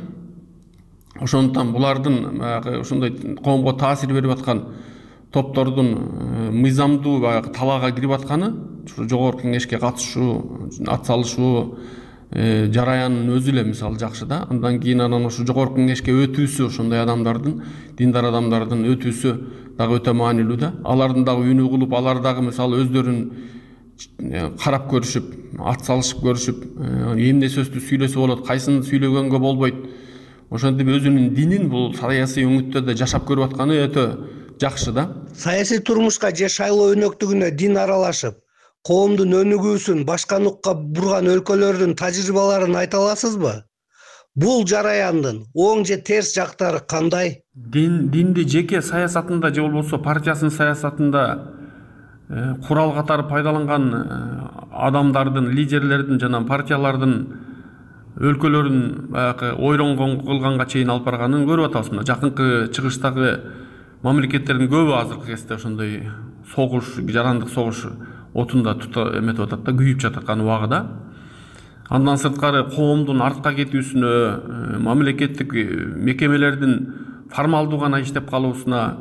Ошондуктан булардын баягы ошондой коомго таасир берип аткан топтордун мыйзамдуу баягы талаага кирип атканы, жогорку кеңешке катышуу, ат салышуу жараянын өзү эле мисалы жакшы да. Андан кийин анан ошо жогорку кеңешке өтүүсү, ошондой адамдардын, диндар адамдардын өтүүсү дагы өтө маанилүү да. Алардын дагы үнү угулуп, алар дагы мисалы өздөрүн карап көрүшүп, ат салышып көрүшүп, эмне сөздү сүйлөсө болот, кайсын сүйлөгөнгө болбойт. Ошентип өзүнүн динин бул саясий өңүттөрдө жашап көрүп атканы өтө жакшы да. Саясий турмушка же шайлоо өнөктүгүнө дин аралашып, коомдун өнүгүүсүн башка нукка бурган өлкөлөрдүн тажрыйбаларын айта аласызбы? Бул жараяндын оң же терс жактары кандай? Динди жеке саясатында же болбосо партиясынын саясатында курал катары пайдаланган адамдардын, лидерлердин жана партиялардын өлкөлөрүн баягы ойронгон кылганга чейин алып барганын көрүп атабыз. Мына жакынкы чыгыштагы мамлекеттердин көбү азыркы кезде ошондой согуш, жарандык согуш отунда эметип атат да, күйүп жататкан убагыда. Андан сырткары коомдун артка кетүүсүнө, мамлекеттик мекемелердин формалдуу гана иштеп калуусуна,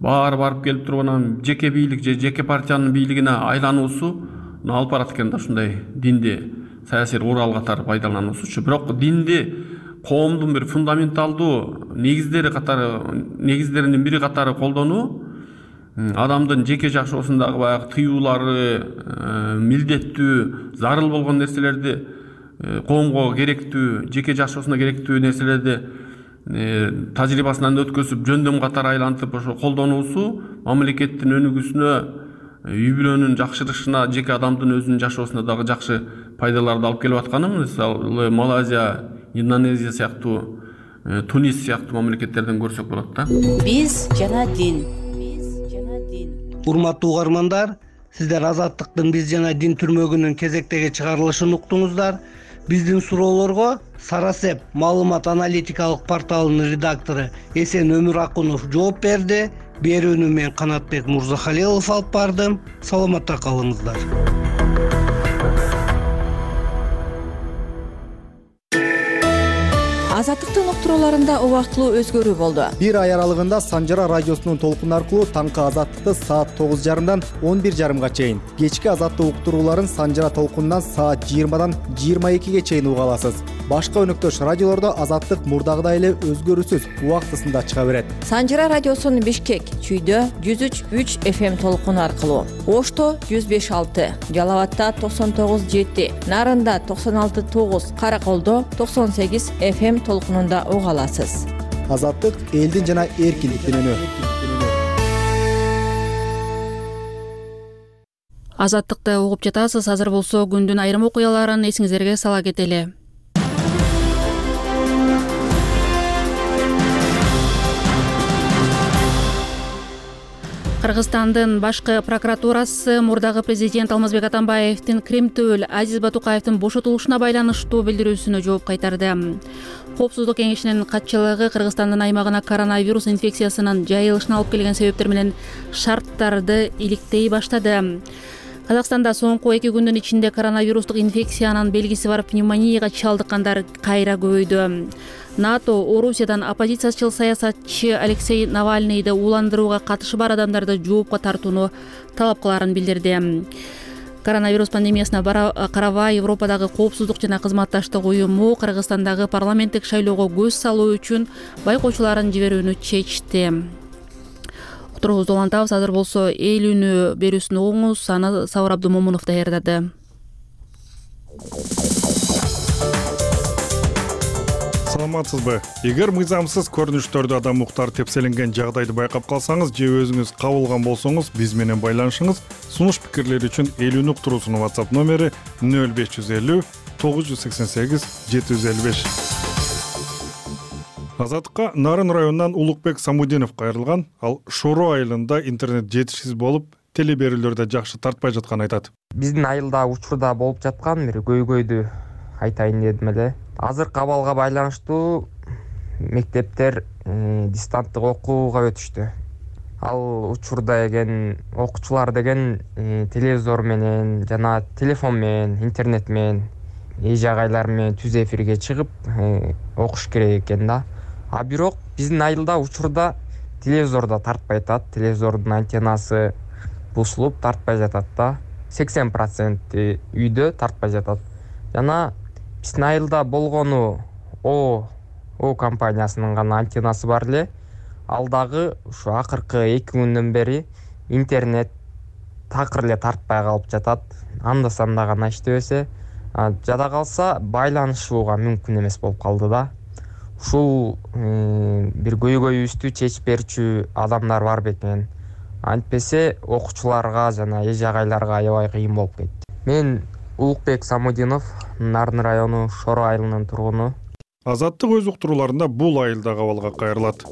барып келип туруп анан жеке бийлик же жеке партиянын бийлигине айлануусу алып барат экен да, ушундай динди саясий курал катары пайдалануусучу. Бирок динди коомдун бир фундаменталдуу негиздеринин бири катары колдонуу, адамдын жеке жашоосундагы баягы тыюулары, милдеттүү, зарыл болгон нерселерди, коомго керектүү, жеке жашоосуна керектүү нерселерди тажрыйбасынан өткөзүп, жөндөм катары айлантып ошо колдонуусу мамлекеттин өнүгүүсүнө, үй бүлөнүн жакшырышына, жеке адамдын өзүнүн жашоосуна дагы жакшы пайдаларды алып келип атканын мисалы Малайзия, Индонезия сыяктуу, Тунис сыяктуу мамлекеттерден көрсөк болот да. Биз жана дин. Урматтуу угармандар, сиздер Азаттыктын Биз жана дин түрмөгүнүн кезектеги чыгарылышын уктуңуздар. Биздин суроолорго Сарасеп маалымат аналитикалык порталынын редактору Эсен Өмүракунов жооп берди. Берүүнү мен Канатбек Мурзахалилов алып бардым. Саламатта калыңыздар. Азаттыктын уктурууларында убактылуу өзгөрүү болду. Бир ай аралыгында Санжара радиосунун толкун аркылуу таңкы Азаттыкты саат 9:30-дан 11:30-га чейин, кечки Азаттык уктурууларын Санжара толкунунан саат 20-дан 22-ге чейин уга аласыз. Башка өнөктөш радиолордо Азаттык мурдагыдай эле өзгөрүүсүз убактысында чыга берет. Санжара радиосунун Бишкек, Чүйдө 103.3 FM толкуну аркылуу, Ошто 105.6, Жалалатта 99.7, Нарында 96.9, Караколдо 98 FM толкунунда уга аласыз. Азаттык элдин жана эркиндиктин үнү. Азаттыкты угуп жатасыз. Азыр болсо күндүн айрым окуяларын эсиңиздерге сала кетели. Кыргызстандын башкы прокуратурасы мурдагы президент Алмазбек Атамбаевдин Кремтөөл Азиз Батукаевдин бошотулушуна байланыштуу билдирүүсүнө жооп кайтарды. Коопсуздук кеңешинин катчылыгы Кыргызстандын аймагына коронавирус инфекциясынын жайылышына алып келген себептер менен шарттарды иликтей баштады. Казакстанда соңку 2 күндүн ичинде коронавирустук инфекциянын белгиси бар пневмонияга чалдыккандар кайра көбөйдү. НАТО Орусиядан оппозициячыл саясатчы Алексей Навальныйды ууландырууга катышы бар адамдарды жоопко тартууну талап кыларын билдирди. Коронавирус пандемиясына карабай Европадагы коопсуздук жана кызматташтык уюму Кыргызстандагы парламенттик шайлоого көз салуу үчүн байкоочуларын жиберүүнү чечти. Уктуруубузду улантабыз. Азыр болсо эл үнү берүүсүн угуңуз. Аны Сабыр Абдумомунов даярдады. Саламатсызбы? Эгер мыйзамсыз көрүнүштөрдү адам уктар тепселенген жагдайды байкап калсаңыз же өзүңүз кабылган болсоңуз, биз менен байланышыңыз. Сунуш пикирлер үчүн эл үнү уктуруусунун WhatsApp номери 0550 988 755. Азаттыкка Нарын районунан Улукбек Самудинов кайрылган. Ал Шоро айылында интернет жетишсиз болуп, теле берүүлөрдө жакшы тартпай жатканын айтат. Биздин айылда учурда болуп жаткан бир көйгөйдү айтайын дедим эле. Азыркы абалга байланыштуу мектептер дистанттык окууга өтүштү. Ал учурда деген окуучулар деген телевизор менен жана телефон менен, интернет менен, эже-агайлар менен түз эфирге чыгып окуш керек экен да. А бирок биздин айылда учурда телевизор да тартпай атат. Телевизордун антеннасы бузулуп тартпай жатат да. 80% үйдө тартпай жатат. Жана биздин айылда болгону О компаниясынын гана антеннасы бар эле. Ал дагы ушу акыркы 2 күндөн бери интернет такыр эле тартпай калып жатат. Анда-санда гана иштебесе, жада калса байланышууга мүмкүн эмес болуп калды да. Ушул бир көйгөйүбүздү чечип берүүчү адамдар бар бекен. Антпесе окуучуларга жана эже-агайларга аябай кыйын болуп кетти. Мен Улукбек Самудинов, Нарын району Шоро айылынын тургуну. Азаттык өз уктурууларында бул айылдагы абалга кайрылат.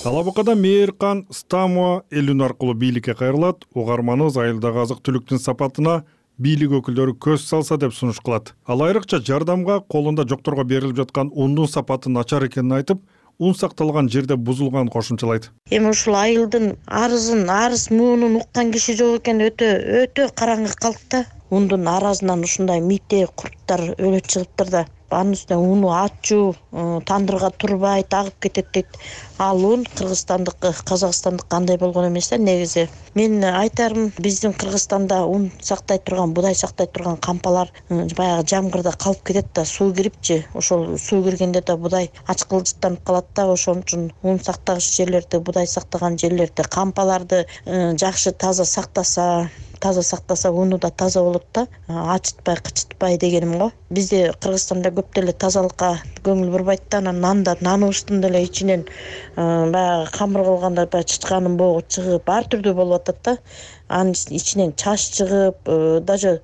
Алабукада Мээркан Стамова эл үнү аркылуу бийликке кайрылат. Угарманыбыз айылдагы азык-түлүктүн сапатына бийлик өкүлдөрү көз салса деп сунуш кылат. Ал айрыкча жардамга колунда жокторго берилип жаткан ундун сапаты начар экенин айтып, ун сакталган жерде бузулганын кошумчалайт. Эми ушул айылдын арыз муунун уккан киши жок экен, өтө караңгы калды да. Ундун аразынан ушундай мите курттар өлө чыгыптыр да. Анын үстүнө уну ачуу, тандырга турбай тагып кетет дейт. Ал ун кыргызстандык, казакстандык кандай болгон эмес да негизи. Мен айтарым, биздин Кыргызстанда ун сактай турган, будай сактай турган кампалар баягы жамгырда калып кетет да, суу кирипчи. Ошол суу киргенде да будай ачкылжыттанып калат да. Ошон үчүн ун сактагыч жерлерди, будай сактаган жерлерди, кампаларды жакшы таза сактаса уну да таза болот да. Ачытпай, кычытпай дегеним го. Бизде Кыргызстанда көп деле тазалыкка көңүл бурбайт да. Наныбыздын деле ичинен баягы камыр кылганда баягы чычканын богу чыгып, ар түрдүү болуп атат да. Анын ичинен чач чыгып, даже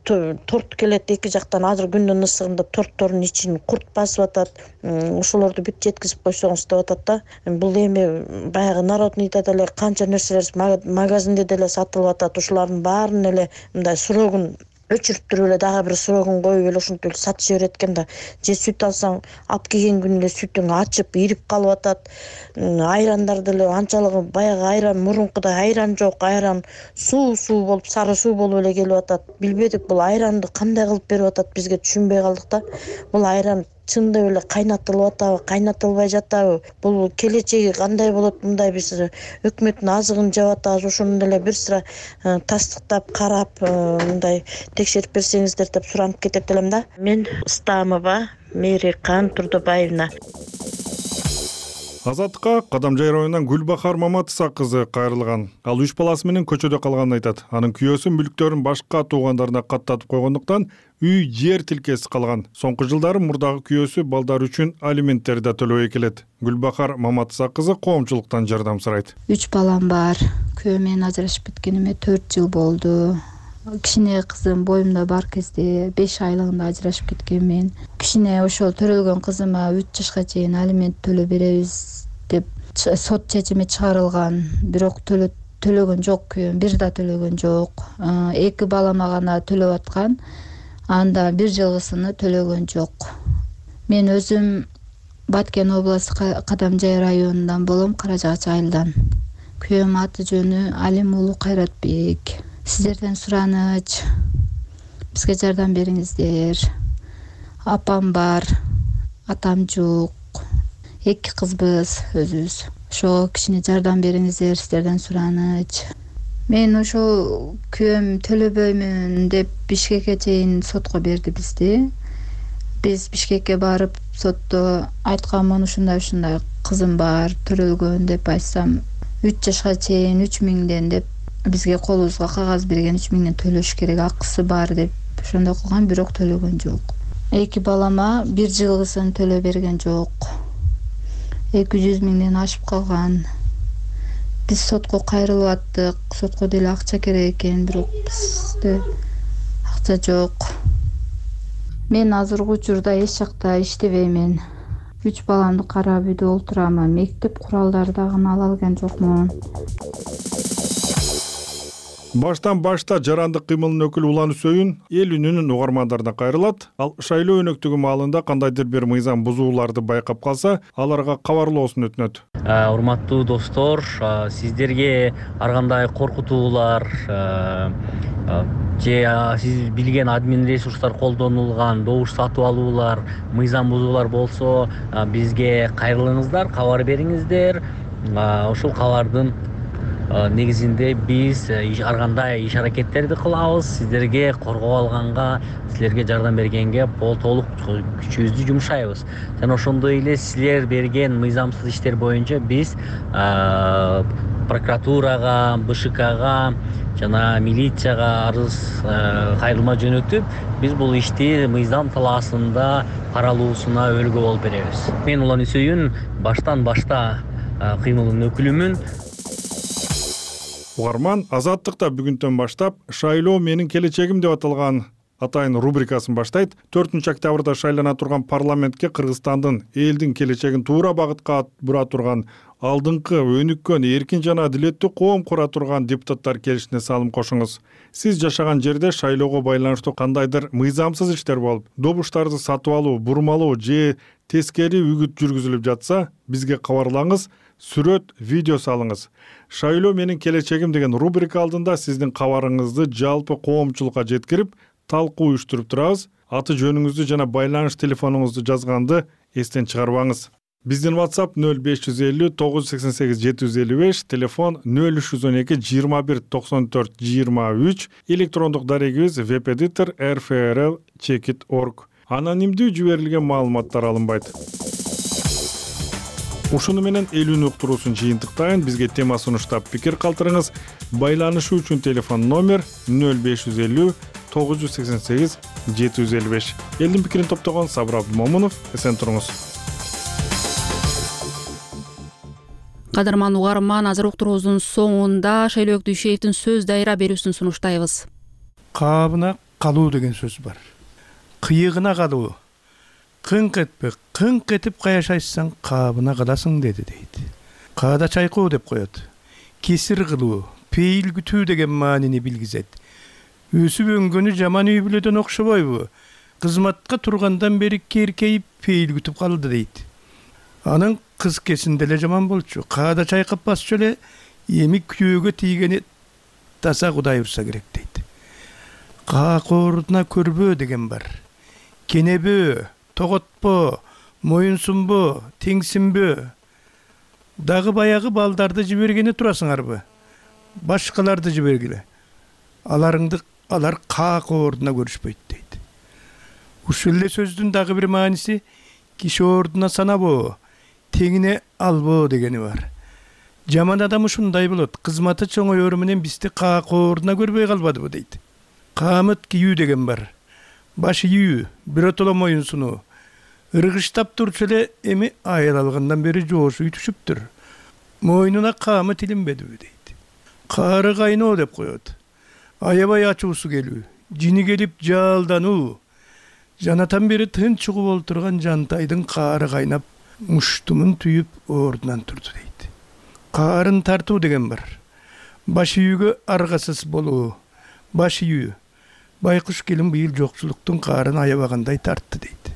торт келет эки жактан. Азыр күндүн ысыгында торттордун ичин курт басып атат. Ошолорду бүт жеткизип койсоңуз деп атат да. Бул эми баягы народныйда деле канча нерселер магазинде деле сатылып атат. Ушулардын баарын эле мындай срогун өчүрүп туруп эле дагы бир срогун коюп эле ушинтип сатып жиберет экен да. Же сүт алсаң, алып келген күнү эле сүтүң ачып, ирип калып атат. Айрандар деле анчалыгы баягы айран, мурункудай айран жок, айран суу болуп, сары суу болуп эле келип атат. Билбедик бул айранды кандай кылып берип атат, бизге түшүнбөй калдык да. Бул айран чындап эле кайнатылып атабы, кайнатылбай жатабы? Бул келечеги кандай болот? Мындай биз өкмөттүн азыгын жеп атабыз. Ошону деле бир сыра тастыктап, карап, мындай текшерип берсеңиздер деп суранып кетет элем да. Мен Стамова Мээркан Турдубаевна. Азаттыкка Кадамжай районунан Гүлбахар Маматыса кызы кайрылган. Ал 3 баласы менен көчөдө калганын айтат. Анын күйөөсү мүлктөрүн башка туугандарына каттатып койгондуктан үй жер тилкеси калган. Соңку жылдары мурдагы күйөөсү балдар үчүн алименттер да төлөбөй келет. Гүлбахар Маматыса кызы коомчулуктан жардам сурайт. 3 балам бар. Күйөөм менен ажырашып кеткениме 4 жыл болду. Кичине кызым боюмда бар кезде 5 айлыгында ажырашып кеткенмин. Кичине ошол төрөлгөн кызыма 3 жашка чейин алимент төлөп беребиз деп сот чечими чыгарылган. Бирок төлөгөн жок күйөөм, бир да төлөгөн жок. 2 балама гана төлөп аткан. Анда 1 жылгысыны төлөгөн жок. Мен өзүм Баткен областы Кадамжай районунан болом, Каражагачы айылдан. Күйөөм аты жөнү Алимулуу Кайратбек. Сиздерден сураныч, бизге жардам бериңиздер. Апам бар, атам жок. 2 кызбыз өзүбүз. Ошого кичине жардам бериңиздер, сиздерден сураныч. Мен ошол күйөөм төлөбөймүн деп Бишкекке чейин сотко берди бизди. Биз Бишкекке барып сотто айтканмын, ушундай кызым бар, төлөлгөн деп айтсам 3 жашка чейин 3000ден деп бизге колубузга кагаз берген, 3000ден төлөш керек, акысы бар деп ошондой кылган, бирок төлөгөн жок. 2 балама 1 жылгысын төлөп берген жок. 200 миңден ашып калган. Биз сотко кайрылып аттык, сотко деле акча керек экен, бирок бизде акча жок. Мен азыркы учурда эч жакта иштебеймин. 3 баламды карап үйдө олтурам. Мектеп куралдары дагы ала алган жокмун. Баштан башта жарандык кыймылдын өкүлү Улан Үсөйүн эл үнүнүн угармандарына кайрылат. Ал шайлоо өнөктүгү маалында кандайдыр бир мыйзам бузууларды байкап калса, аларга кабарлоосун өтүнөт. Урматтуу достор, сиздерге ар кандай коркутуулар же сиз билген админ ресурстар колдонулган добуш сатып алуулар, мыйзам бузуулар болсо, бизге кайрылыңыздар, кабар бериңиздер. Ошол кабардын негизинде биз ар кандай иш аракеттерди кылабыз. Сиздерге коргоо алганга, силерге жардам бергенге толук күчүбүздү жумшайбыз. Жана ошондой эле силер берген мыйзамсыз иштер боюнча биз прокуратурага, БШКга жана милицияга арыз кайрылма жөнөтүп, биз бул ишти мыйзам талаасында каралуусуна өлгө болуп беребиз. Мен Улан Үсөйүн баштан башта кыймылдын өкүлүмүн. Угарман Азаттыкта бүгүндөн баштап «Шайлоо менин келечегим» деп аталган атайын рубрикасын баштайт. 4 октябрда шайлана турган парламентке Кыргызстандын элдин келечегин туура багытка бура турган алдыңкы өнүккөн, эркин жана адилеттүү коом кура турган депутаттар келишине салым кошуңуз. Сиз жашаган жерде шайлоого байланыштуу кандайдыр мыйзамсыз иштер болуп, добуштарды сатып алуу, бурмалоо же тескери үгүт жүргүзүлүп жатса, бизге кабарлаңыз, сүрөт, видео салыңыз. «Шайлоо менин келечегим» деген рубрика алдында сиздин кабарыңызды жалпы коомчулукка жеткирип, талкуу уюштуруп турабыз. Аты жөнүңүздү жана байланыш телефонуңузду жазганды эстен чыгарбаңыз. Биздин WhatsApp 0550 988 755, телефон 0312 21 94 23, электрондук дарегибиз web-editor@rfrl.org. Анонимдүү жиберилген маалыматтар алынбайт. Ушуну менен эл үнү уктуруусун жыйынтыктайын. Бизге тема сунуштап пикир калтырыңыз. Байланышуу үчүн телефон номер 0550 988 755. Элдин пикирин топтогон Сабыр Абдымомунов. Эсен туруңуз. Кадырман угарман, азыр уктуруубуздун соңунда Шайлоок Дүйшеевдин сөз дайра берүүсүн сунуштайбыз. Кабына калуу деген сөз бар. Кыйыгына калуу. Кыңк этпе, кыңк этип каяшайсаң, кабына каласың деди дейт. Каада чайкоо деп коет. Кесир кылуу, пейил күтүү деген маанини билгизет. Өсүп өнгөнү жаман үй бүлөдөн окшобойбу? Кызматка тургандан бери керкейип пейил күтүп калды дейт. Анын кыз кесинде эле жаман болчу. Каада чайкап басчу эле, эми күйөөгө тийгени таза Кудай урса керек дейт. Каакоордуна көрбөө деген бар. Кенебөө, тоготпо, моюнсунбо, теңсинбөө. Дагы баягы балдарды жибергени турасыңарбы? Башкаларды жибергиле. Алар каакоордуна көрүшпөйт дейт. Ушул эле сөздүн дагы бир мааниси киши ордуна санабоо, теңине албоо дегени бар. Жаман адам ушундай болот. Кызматы чоңоёру менен бизди каакоордуна көрбөй калбадыбы дейт. Каамыт кийүү деген бар. Баш ийүү, биротоло моюнсунуу. Ыргыштап турчу эле эми айыл алгандан бери жоошу үтүшүптүр. Мойнуна каамыт илинбедиби дейт. Каары кайноо деп коет. Аябай ачуусу келүү, жини келип жаалдануу. Жанатан бери тынч угуп олтурган жантайдын каары кайнап, муштумун түйүп ордунан турду дейт. Каарын тартуу деген бар. Баш ийүүгө аргасыз болуу. Баш ийүү. Байкуш келин быйыл жокчулуктун каарын аябагандай тартты дейт.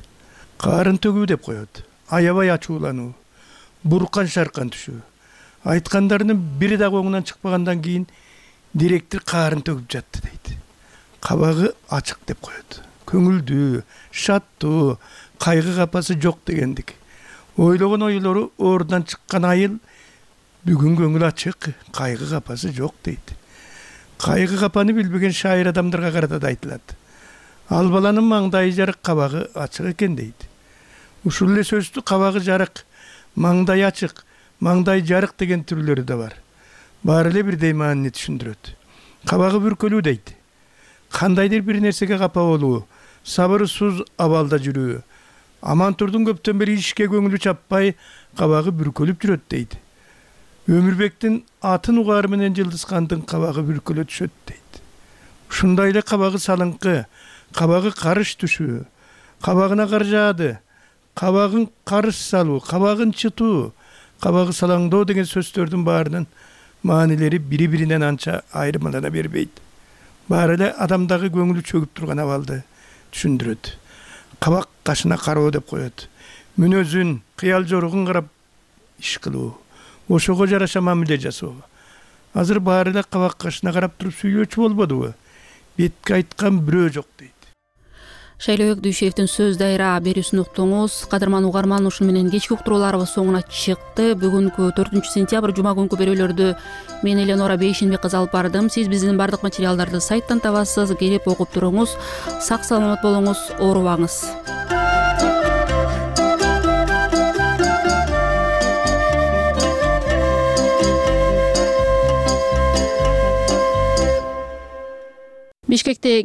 Каарын төгүү деп коет. Аябай ачуулануу. Буркан шаркан түшүү. Айткандарынын бири дагы оңунан чыкпагандан кийин директор каарын төгүп жатты дейт. Кабагы ачык деп коет. Көңүлдүү, шаттуу, кайгы капасы жок дегендик. Ойлогон ойлору ордунан чыккан айыл бүгүн көңүл ачык, кайгы капасы жок дейт. кайгы капаны билбеген шайыр адамдарга карата да айтылат. Ал баланын маңдайы жарык, кабагы ачык экен дейт. Ушул эле сөздү кабагы жарык, маңдай ачык, маңдай жарык деген түрлөрү да бар. Баары эле бирдей маанини түшүндүрөт. Кабагы бүркөлүү дейт. Кандайдыр бир нерсеге капа болуу, сабырсыз абалда жүрүү. Амантурдун көптөн бери ишке көңүлү чаппай, кабагы бүркөлүп жүрөт дейт. Өмүрбектин атын угаар менен Жылдызкандын кабагы бүркөлө түшөт дейт. Ушундай эле кабагы салыңкы, кабагы карыш түшүү, кабагына кар жаады, кабагын карыш салуу, кабагын чытуу, кабагы салаңдоо деген сөздөрдүн баарынын маанилери бири-биринен анча айырмалана бербейт. Баары эле адамдагы көңүлү чөгүп турган абалды түшүндүрөт. Кабак кашына кароо деп коет. Мүнөзүн, кыял жоругун карап иш кылуу, ошого жараша мамиле жасоо. Азыр баары эле кабак кашына карап туруп сүйлөөчү болбодубу? Бетке айткан бирөө жок дейт. Шайлообек Дүйшеевдин сөз дайра берүүсүн уктуңуз. Кадырман угарман, ушуну менен кечки уктурууларыбыз соңуна чыкты. Бүгүнкү 4-сентябрь жума күнкү берүүлөрдү мен Эленора Бейшенбек кызы алып бардым. Сиз биздин бардык материалдарды сайттан табасыз. Келип окуп туруңуз. Сак саламат болуңуз, оорубаңыз. Бишкекте